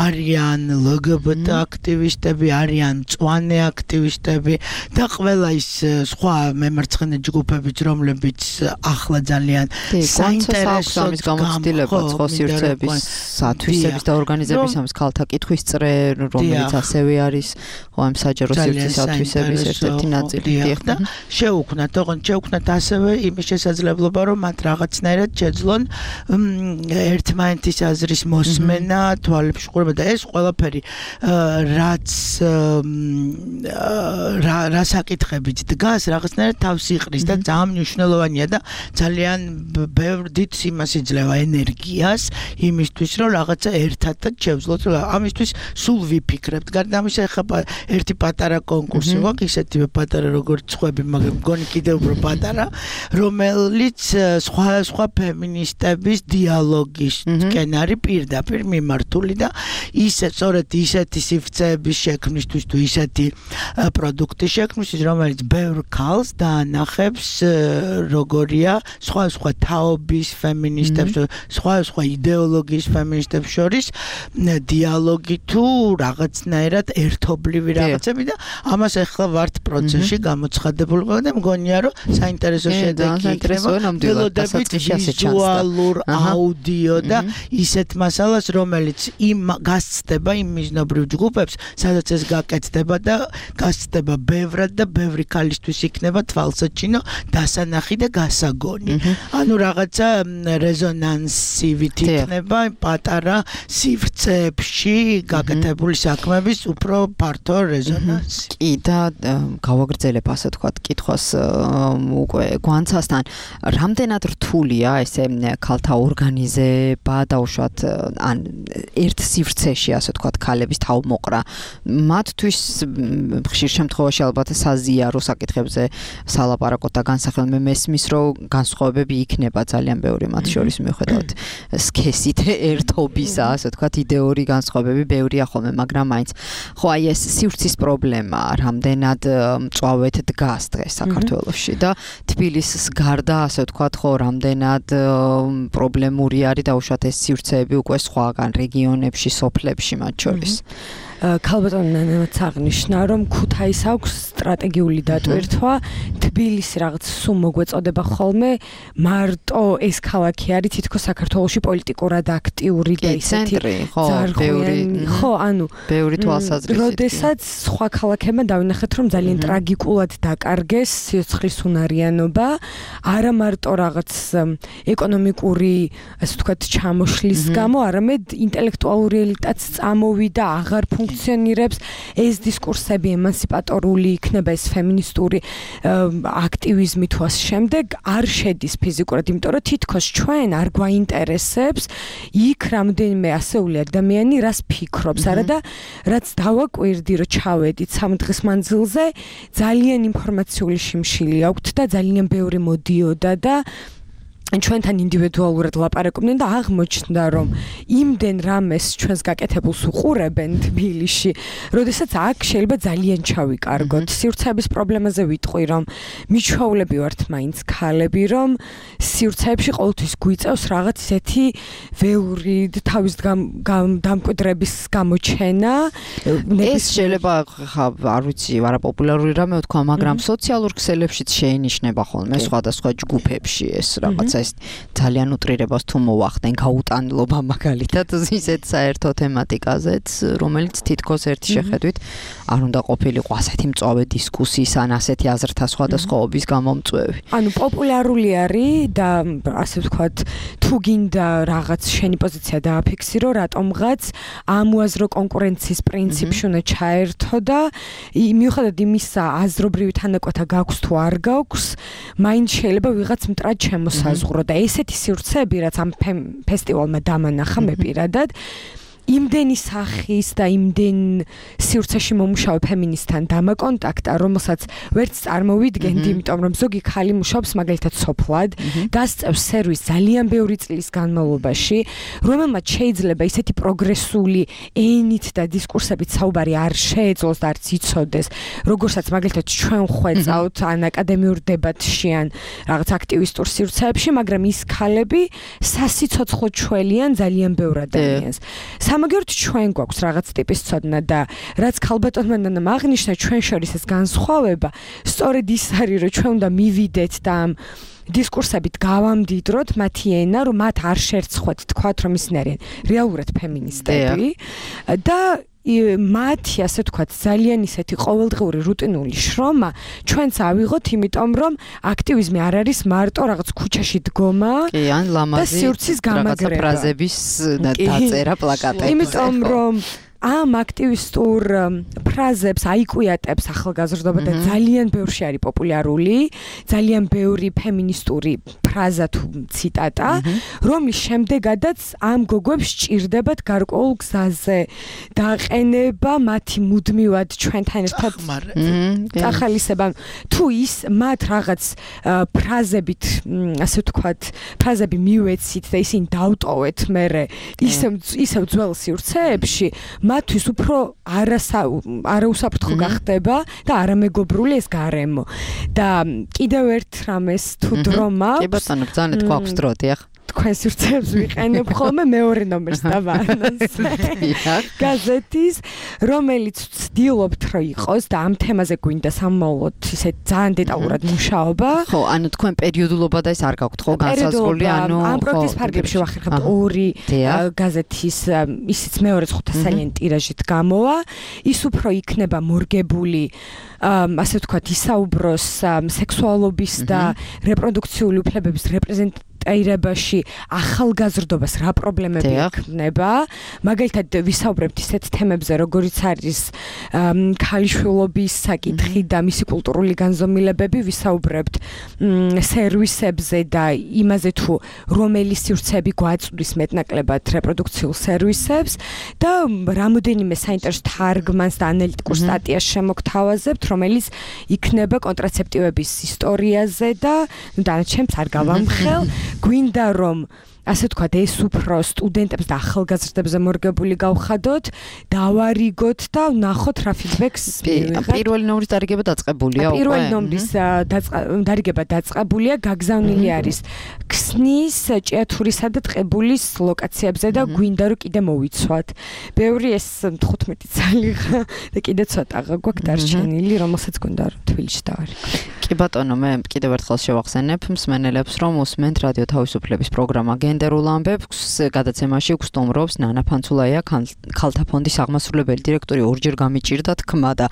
არიან LGBT აქტივისტები, არიან მწვანე აქტივისტები და ყველა ის სხვა მემარცხენე ჯგუფებიც, რომლებიც ახლა ძალიან საინტერესო ამის გამოცდილება ხო სივრცეების სათვისების და ორგანიზების ამის ქალთა კითხვის წრე, რომელიც ასევე არის ხო ამ საჯარო სივრცის ათვისების ერთ-ერთი ნაწილი და შევუქმნათ ასევე იმის შესაძლებლობა, რომ მათ რაღაცნაირად შეძლონ ერთმანეთის აზრის მოსმენა, თვალებში ყურება და ეს ყველაფერი რაც რა საკითხებით დგას, რაღაცნაირად თავს იყრის და ძალიან მნიშვნელოვანია და ძალიან ბევრ დიდ იმას იძლევა ენერგიას იმისთვის, რომ რაღაცა ერთადად შევძლოთ. ამისთვის სულ ვიფიქრებთ. გარდა ამისა, ეხლა ერთი პატარა კონკურსი გვაქვს, ისეთივე პატარა როგორც სხვები, მაგრამ მგონი კიდევ უფრო პატარა, რომელიც სხვა ფემინისტების დიალოგისკენ არის პირდაპირ მიმართული და სწორედ ისეთი სივრცეების შექმნისთვის თუ ისეთი პროდუქტის შექმნისთვის, რომელიც ბევრ ქალს დაანახებს, როგორია სხვა თაობის ფემინისტებს, სხვა იდეოლოგიის ფემინისტებს შორის დიალოგი თუ რაღაცნაირად ერთობლივი რაღაცები და ამას ახლა ვართ პროცესში გამოცხადებული და მგონია, რომ საინტერესო შედეგი იქნება, ველოდებით ვიზუალურ, აუდიო და ისეთ მასალას, რომელიც გასცდება იმ მიზნობრივ ჯგუფებს, სადაც ეს გაკეთდება და გასცდება ბევრად და ბევრი ქალისთვის იქნება თვალსაჩინო, დასანახი და გასაგონი. ანუ რაღაცა რეზონანსივით იქნება პატარა სივრცეებში გაკეთებული საქმების უფრო ფართო რეზონანსი. კი და გავაგრძელებ ასე ვთქვათ კითხვას უკვე გვანცასთან, რამდენად რთულია ესე ქალთა ორგანიზება დაუშვათ ან ერთ სივრცეში ასე ვთქვათ ქალების თავმოყრა. მათთვის ხშირ შემთხვევაში ალბათ საზიარო საკითხებზე სალაპარაკოთ და განსახილ მე მესმის, რომ განსხვავებები იქნება ძალიან ბევრი მათ შორის მიუხედავად სქესით ერთობისა, ასე ვთქვათ იდეური განსხვავებები ბევრია ხოლმე, მაგრამ მაინც ხო აი ეს სივრცის პრობლემა რამდენად მწვავედ დგას დღეს საქართველოში და თბილისის გარდა ასე ვთქვათ ხო რამდენად პრობლემური არის დაუშვათ ეს სივრცეები უკვე სხვაგან რეგიონებში, სოფლებში მათ შორის. ქალბატონი ნანამაც აღნიშნა, რომ ქუთაის აქვს სტრატეგიული დატვირთვა, თბილისი რაღაც სულ მოგვეწოდება ხოლმე, მარტო ეს ქალაქი არის თითქოს საქართველოში პოლიტიკურად აქტიური და ისეთი ხო, ანუ ბევრი თვალსაზრისით. როდესაც სხვა ქალაქებმა დავინახეთ, რომ ძალიან ტრაგიკულად დაკარგეს სიცოცხლის უნარიანობა, არა მარტო რაღაც ეკონომიკური, ასე ვთქვათ, ჩამოშლის გამო, არამედ ინტელექტუალური ელიტაც წამოვიდა, აღარ ფუნქციონირებს, ეს დისკურსები ემანსიპატორული იქნება, ეს ფემინისტური აქტივიზმი თუ ამ შემდეგ არ შედის ფიზიკურად, იმიტომ რომ თითქოს ჩვენ არ გვაინტერესებს იქ რამდენიმე ასეული ადამიანი რას ფიქრობს, არა და რაც დავაკვირდი, რომ ჩავედით 3 დღის მანძილზე, ძალიან ინფორმაციული შიმშილი აქვთ და ძალიან ბევრი მოდიოდა და ჩვენთან ინდივიდუალურად ლაპარაკობდნენ და აღმოჩნდა, რომ იმდენ რამეს ჩვენს გაკეთებულს უყურებენ თბილისში, როდესაც აქ შეიძლება ძალიან ჩავიკარგოთ. სივრცეების პრობლემაზე ვიტყვი, რომ მიჩვეულები ვართ მაინც ქალები, რომ სივრცეებში ყოველთვის გვიწევს რაღაც ისეთი ვეური თავის დამკვიდრების გამოჩენა. ეს შეიძლება არ ვიცი, არაპოპულარული რამე ვთქვა, მაგრამ სოციალურ ქსელებშიც შეინიშნება ხოლმე სხვადასხვა ჯგუფებში ეს რაღაცა ძალიან უტრირებას თუ მოვახდენ გაუტანლობა მაგალითად ისეთ საერთო თემატიკაზეც, რომელიც თითქოს ერთი შეხედვით არ უნდა ყოფილიყო ასეთი მწვავე დისკუსიის ან ასეთი აზრთა სხვადასხვაობის გამომწვევი. ანუ პოპულარული არის და ასე ვთქვათ, თუ გინდა რაღაც შენი პოზიცია დააფიქსირო, რატომღაც ამოაზრო კონკურენციის პრინციპში უნდა ჩაერთო და მიუხედავად იმისა, აზრობრივი თანაკვეთა გაქვს თუ არ გაქვს, მაინც შეიძლება ვიღაც მტრად შემოსაზღვროს და ესეთი სივრცეები, რაც ამ ფესტივალმა დამანახა მე პირადად, იმდენი სახის და იმდენ სივრცეში მომუშავე ფემინისტთან დამაკონტაქტა, რომელსაც ვერც წარმოვიდგენდი, იმიტომ რომ ზოგი ქალი მუშაობს მაგალითად სოფლად, დასწევს სერვისს ძალიან ბევრი წლის განმავლობაში, რომელმაც შეიძლება ისეთი პროგრესული ენით და დისკურსებით საუბარი არ შეეძლოს და არც იცოდეს, როგორცაც მაგალითად ჩვენ ხვეწავთ ან აკადემიურ დებატში ან რაღაც აქტივისტურ სივრცეებში, მაგრამ ის ქალები სასიცოცხლო ჩვენიან ძალიან ბევრ ადამიანს. სამაგერთ ჩვენ გვაქვს რაღაც ტიპის ცოდნა და რაც ქალბატონმა ნანამ აღნიშნა, ჩვენ შორის ეს განსხვავება სწორედ ის არის, რომ ჩვენ უნდა მივიდეთ და ამ დისკურსებით გავამდიდროთ მათი ენა, რომ მათ არ შერცხვათ თქვათ, რომ ისინი არიან რეალურად ფემინისტები და მათი, ასე ვთქვათ, ძალიან ისეთი ყოველდღიური რუტინული შრომა ჩვენც ავიღოთ, იმიტომ რომ აქტივიზმი არ არის მარტო რაღაც ქუჩაში დგომა და სივრცის გამაგრება, ფრაზების დაწერა პლაკატებზე. იმიტომ რომ ამ აქტივისტურ ფრაზებს აიკვიატებს ახალგაზრდობა და ძალიან ბევრში არის პოპულარული, ძალიან ბევრი ფემინისტური ფრაზა თუ ციტატა, რომლის შემდეგადაც ამ გოგოებს სჭირდებათ გარკვეულ გზაზე დაყენება, მათი მუდმივად ჩვენთან ერთად წახალისება. თუ ის მათ რაღაც ფრაზებით, ასე ვთქვათ, ფრაზები მივეცით და ისინი დავტოვეთ მერე ისევ ძველ სივრცეებში, მათთვის უფრო არაუსაფრთხო გახდება და არამეგობრული ეს გარემო. და კიდევ ერთ რამეს თუ დრო მაქვს, კი ბატონო, ბრძანეთ გვაქვს დრო, დიახ. თქვენ სივრცეებს ვიყენებ ხოლმე მეორე ნომერს დავანონს. გაზეთის, რომელიც ვცდილობთ რომ იყოს და ამ თემაზე გვინდა სამმავლოდ ისეთ ძალიან დეტალურად მუშაობა. ხო, ანუ თქვენ პერიოდულობა და ეს არ გაქვთ ხო განსაზღვრული, ანუ ამ პროექტის ფარგლებში ვახერხებთ 2 გაზეთის, ისიც მეორე 500-სალიანი ტირაჟით გამოვა. ის უფრო იქნება მორგებული, ასე ვთქვათ, ისაუბროს სექსუალობის და რეპროდუქციული უფლებების აირებაში ახალგაზრდობას რა პრობლემები ექნება. მაგალითად ვისაუბრებთ ისეთ თემებზე, როგორიც არის ქალიშვილობის საკითხი და მისი კულტურული განზომილებები, ვისაუბრებთ სერვისებზე და იმაზე თუ რომელი სივრცეები გვაწვდის მეტნაკლებად რეპროდუქციულ სერვისებს და რამოდენიმე საინტერესო თარგმანს და ანალიტიკურ სტატიას შემოგთავაზებთ, რომელიც იქნება კონტრაცეპტივების ისტორიაზე და დანარჩენს არ გავამხელ. გვინდა რომ ასე თქვა, ეს უფრო სტუდენტებს და ახალგაზრდებზე მორგებული გავხადოთ, დავარიგოთ და ვნახოთ რა ფიდბექს მივიღებთ. პირველი ნომრის დარიგება დაწყებულია უკვე. პირველი ნომრის დარიგება დაწყებულია, გაგზავნილი არის ქსნის, ჭიათურისა და ტყებულის ლოკაციებზე და გვინდა რომ კიდე მოვიცვათ. ბევრი ეს 15 წელი და კიდე ცოტა გვაქვს დარჩენილი, რომელსაც გვინდა რომ თბილისში დავარიგოთ. კი ბატონო, მე კიდევ ერთხელ შევახსენებ მსმენელებს, რომ უსმენთ რადიო თავისუფლების პროგრამა გენდერულ ამბებს. გადაცემაში გსტუმრობს ნანა ფანცულაია, ქალთა ფონდის აღმასრულებელი დირექტორი. ორჯერ გამიჭირდა თქმა და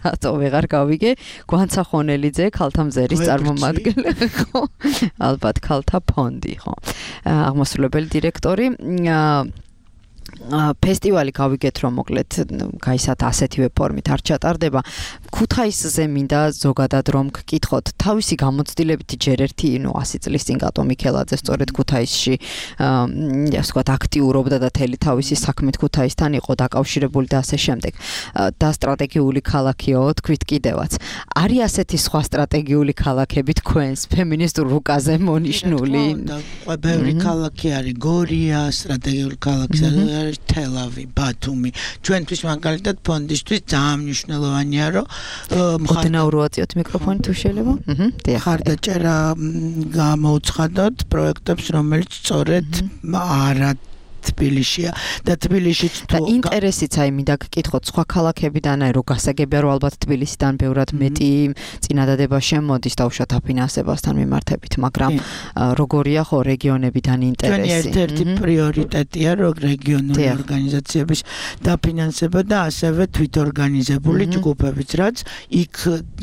რატო ვეღარ გავიგე, გვანცა ხონელიძე, ქალთა მზერის წარმომადგენელი, ხო? ალბათ ქალთა ფონდი, ხო? აღმასრულებელი დირექტორი. ფესტივალი გავიგეთ რომ მოკლედ გაისათ ასეთივე ფორმით არ ჩატარდება. ქუთაისზე მინდა ზოგადად რომ გკითხოთ, თავისი გამოცდილებით ჯერ ერთი 100 წლის წინ გატო მიქელაძე სწორედ ქუთაისში ასე ვთქვათ აქტიურობდა და თელი თავისი საქმით ქუთაისთან იყო დაკავშირებული და ასე შემდეგ. და სტრატეგიული ქალაქიო თქვით კიდევაც. არის ასეთი სხვა სტრატეგიული ქალაქები თქვენს ფემინისტურ რუკაზე მონიშნული? ბევრი ქალაქი არის, გორია, სტრატეგიული ქალაქი არის თელავი, ბათუმი. ჩვენთვის მაგალითად ფონდისთვის ძალიან მნიშვნელოვანია, რომ მოდენაურო აწიოთ მიკროფონი თუ შეიძლება. ხარდაჭერა გამოუცხადოთ პროექტებს, რომელიც სწორედ არა თბილისშია და თბილისშიც და ინტერესიც აი მინდა გკითხოთ სხვა ქალაქებიდან აი რო გასაგებია რომ ალბათ თბილისიდან ბევრად მეტი წინადადება შემოდის დაუშვათ აფინანსებასთან მიმართებით, მაგრამ როგორია ხო რეგიონებიდან ინტერესი? ერთ-ერთი პრიორიტეტია რომ რეგიონული ორგანიზაციების დაფინანსება და ასევე თვითორგანიზებული ჯგუფებიც, რაც იქ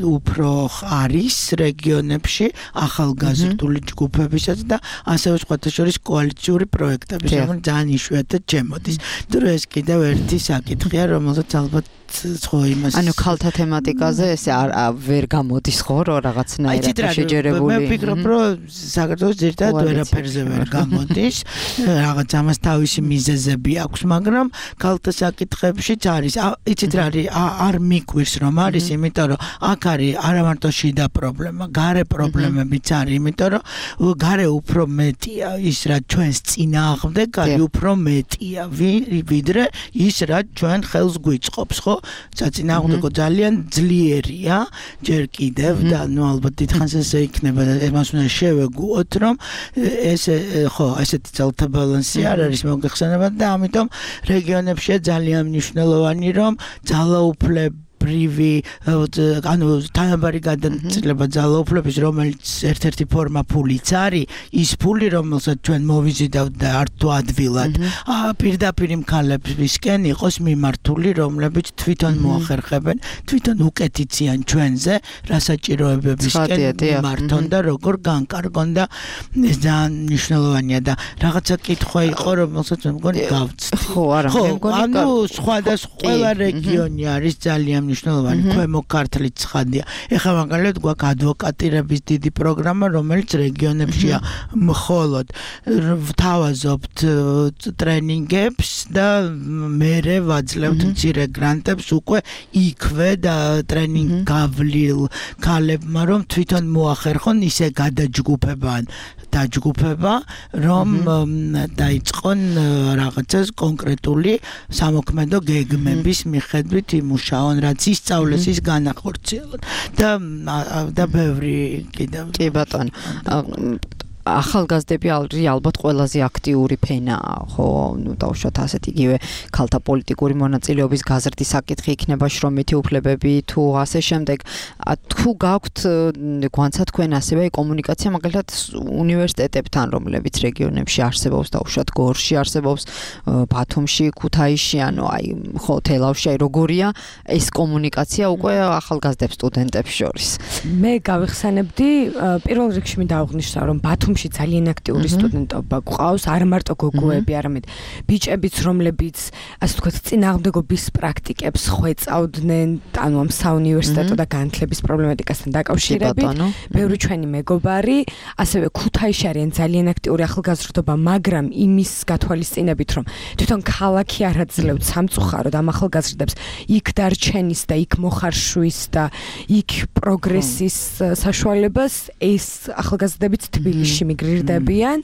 უფრო არის რეგიონებში ახალგაზრდული ჯგუფებისაც და ასევე სხვათა შორის კოალიციური პროექტების, რომელიც იშვიათად ჩემოდის. დრო ეს კიდევ ერთი საკითხია, რომელსაც ალბათ ხო იმას ანუ ქალთა თემატიკაზე ეს ვერ გამოდის ხო რომ რაღაცნაირად შეჯერებული. მე ვფიქრობ რომ საქართველოს ძირითადად ვერაფერზე ვერ გამოდის. რაღაც ამას თავისი მიზეზები აქვს, მაგრამ ქალთა საკითხებშიც არის. იცით რა არის, არ მიკვირს რომ არის, იმიტომ რომ აქ არის არა მარტო შიდა პრობლემა, გარე პრობლემებიც არის, იმიტომ რომ გარე უფრო მეტია ის რა ჩვენს წინააღმდეგ არის უფრო მეტია ვიდრე ის რა ჩვენ ხელს გვიწყობს, ხო? საწინააღმდეგო ძალიან ძლიერია ჯერ კიდევ და ნუ ალბათ დიდხანს ესე იქნება და მას უნდა შევეგუოთ რომ ეს ხო ესეთი ძალთა ბალანსი არ არის მოგეხსენებათ და ამიტომ რეგიონებშია ძალიან მნიშვნელოვანი რომ ძალაუფლება ანუ თანაბარი გადაწყვეტილება ძალაუფლების, რომელიც ერთ-ერთი ფორმა ფულიც არის, ის ფული, რომელსაც ჩვენ მოვიზიდავთ და არც ადვილად, პირდაპირ მხარეებისკენ იყოს მიმართული, რომლებიც თვითონ მოახერხებენ, თვითონ უკეთიციან ჩვენზე, რა საჭიროებებისკენ მიმართონ და როგორ განკარგონ და ეს ძალიან მნიშვნელოვანია და რაღაცა კითხვა იყო, რომელსაც მე მგონი გავწდი. ხო, არა, მე მგონი ანუ სხვადასხვა ყველა რეგიონი არის ძალიან მნიშვნელოვანი, ქვემო ქართლიც ცხადია. ეხლა მაგალითად გვაქვს ადვოკატირების დიდი პროგრამა, რომელიც რეგიონებშია მხოლოდ ვთავაზობთ ტრენინგებს და მერე ვაძლევთ მცირე გრანტებს უკვე იქვე და ტრენინგ გავლილ ქალებმა, რომ თვითონ მოახერხონ ისე დაჯგუფება, რომ დაიწყონ რაღაცას კონკრეტული სამოქმედო გეგმების მიხედვით იმუშაონ, რაც ისწავლეს ის განახორციელონ და ბევრი კიდევ კი ბატონო ახალგაზრდები ალბათ ყველაზე აქტიური ფენაა, ხო, ნუ დავუშვათ ასეთ იგივე ქალთა პოლიტიკური მონაწილეობის გაზრდის საკითხი იქნება, შრომითი უფლებები თუ ასე შემდეგ. თუ გაქვთ გვანცა თქვენ ასევე კომუნიკაცია მაგალითად უნივერსიტეტებთან, რომლებიც რეგიონებში არსებობს, დავუშვათ გორში არსებობს, ბათუმში, ქუთაისში, ანუ აი ხო თელავში, აი როგორია ეს კომუნიკაცია უკვე ახალგაზრდებს სტუდენტებს შორის? მე გავიხსენებდი პირველ რიგში მინდა აღვნიშნო, რომ ბათუმში ძალიან აქტიური სტუდენტობა გვყავს, არ მარტო გოგოები, არამედ ბიჭებიც, რომლებიც ასე ვთქვათ წინააღმდეგობის პრაქტიკებს ხვეწავდნენ, ანუ ამ საუნივერსიტეტო და განათლების პრობლემატიკასთან დაკავშირებით. ბევრი ჩვენი მეგობარი, ასევე ქუთაისში არიან ძალიან აქტიური ახალგაზრდობა, მაგრამ იმის გათვალისწინებით, რომ თვითონ ქალაქი არ აძლევთ სამწუხაროდ ამ ახალგაზრდებს იქ დარჩენის და იქ მოხარშვის და იქ პროგრესის საშუალებას, ეს ახალგაზრდებიც თბილისში მიგრირდებიან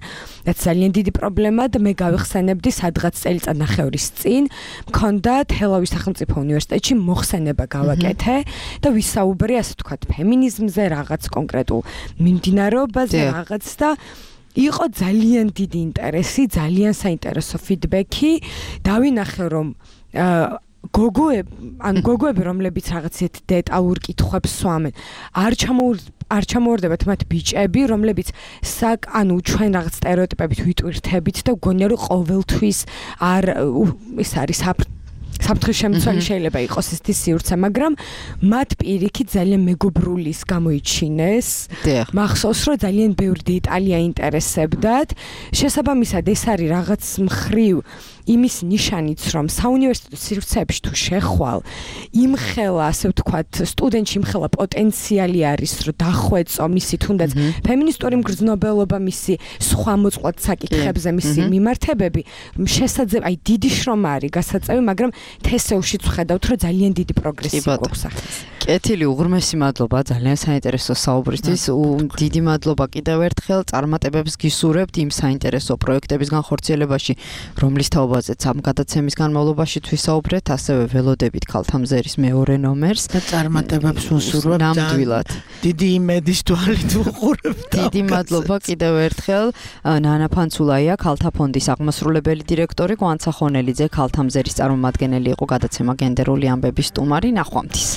და ძალიან დიდი პრობლემაა და მე გავიხსენებდი სადღაც წელიწადნახევრის წინ მქონდა თელავის სახელმწიფო უნივერსიტეტში მოხსენება გავაკეთე და ვისაუბრე ასე ვთქვათ ფემინიზმზე რაღაც კონკრეტულ მიმდინარეობაზე რაღაც და იყო ძალიან დიდი ინტერესი, ძალიან საინტერესო ფიდბექი. დავინახე რომ გოგოები რომლებიც რაღაცეთ დეტალურ კითხვებს სვამენ არ ჩამოვარდებათ მათ ბიჭები რომლებიც ანუ ჩვენ რაღაც სტერეოტიპებით ვიტვირთებით და გონია რომ ყოველთვის ეს არის საფრთხის შემცველი შეიძლება იყოს ეს სივრცე, მაგრამ მათ პირიქით ძალიან მეგობრულის გამოიჩინეს. მახსოვს რომ ძალიან ბევრი დეტალი აინტერესებდათ. შესაბამისად ეს არის რაღაც მხრივ იმის ნიშანიც რომ საუნივერსიტეტო სივრცეებში თუ შეხვალ იმხელა ასე ვთქვათ სტუდენტში იმხელა პოტენციალი არის რომ დახვეწო მისი თუნდაც ფემინისტური მგრძნობელობა მისი სხვა მოწყვლად საკითხებზე მისი მიმართებები შესაძლოა დიდი შრომა არის გასაწევი მაგრამ თესეუშიც ვხედავთ რომ ძალიან დიდი პროგრესი გვაქვს ახლა კეთილი უღრმესი მადლობა ძალიან საინტერესო საუბრისთვის დიდი მადლობა კიდევ ერთხელ წარმატებებს გისურვებთ იმ საინტერესო პროექტების განხორციელებაში რომლის თაობაზეც ამ გადაცემის განმავლობაში თვისაუბრეთ ასევე ველოდებით ქალთამზერის მეორე ნომერს და წარმატებებს ვუსურვებთ ნამდვილად დიდი იმედის თვალით ვუყურებთ დიდი მადლობა კიდევ ერთხელ ნანა ფანცულაია ქალთა ფონდის აღმასრულებელი დირექტორი კვანცა ხონელიძე ქალთამზერის წარმომადგენელი იყო გადაცემა გენდერული ამბების სტუმარი ნახვამდის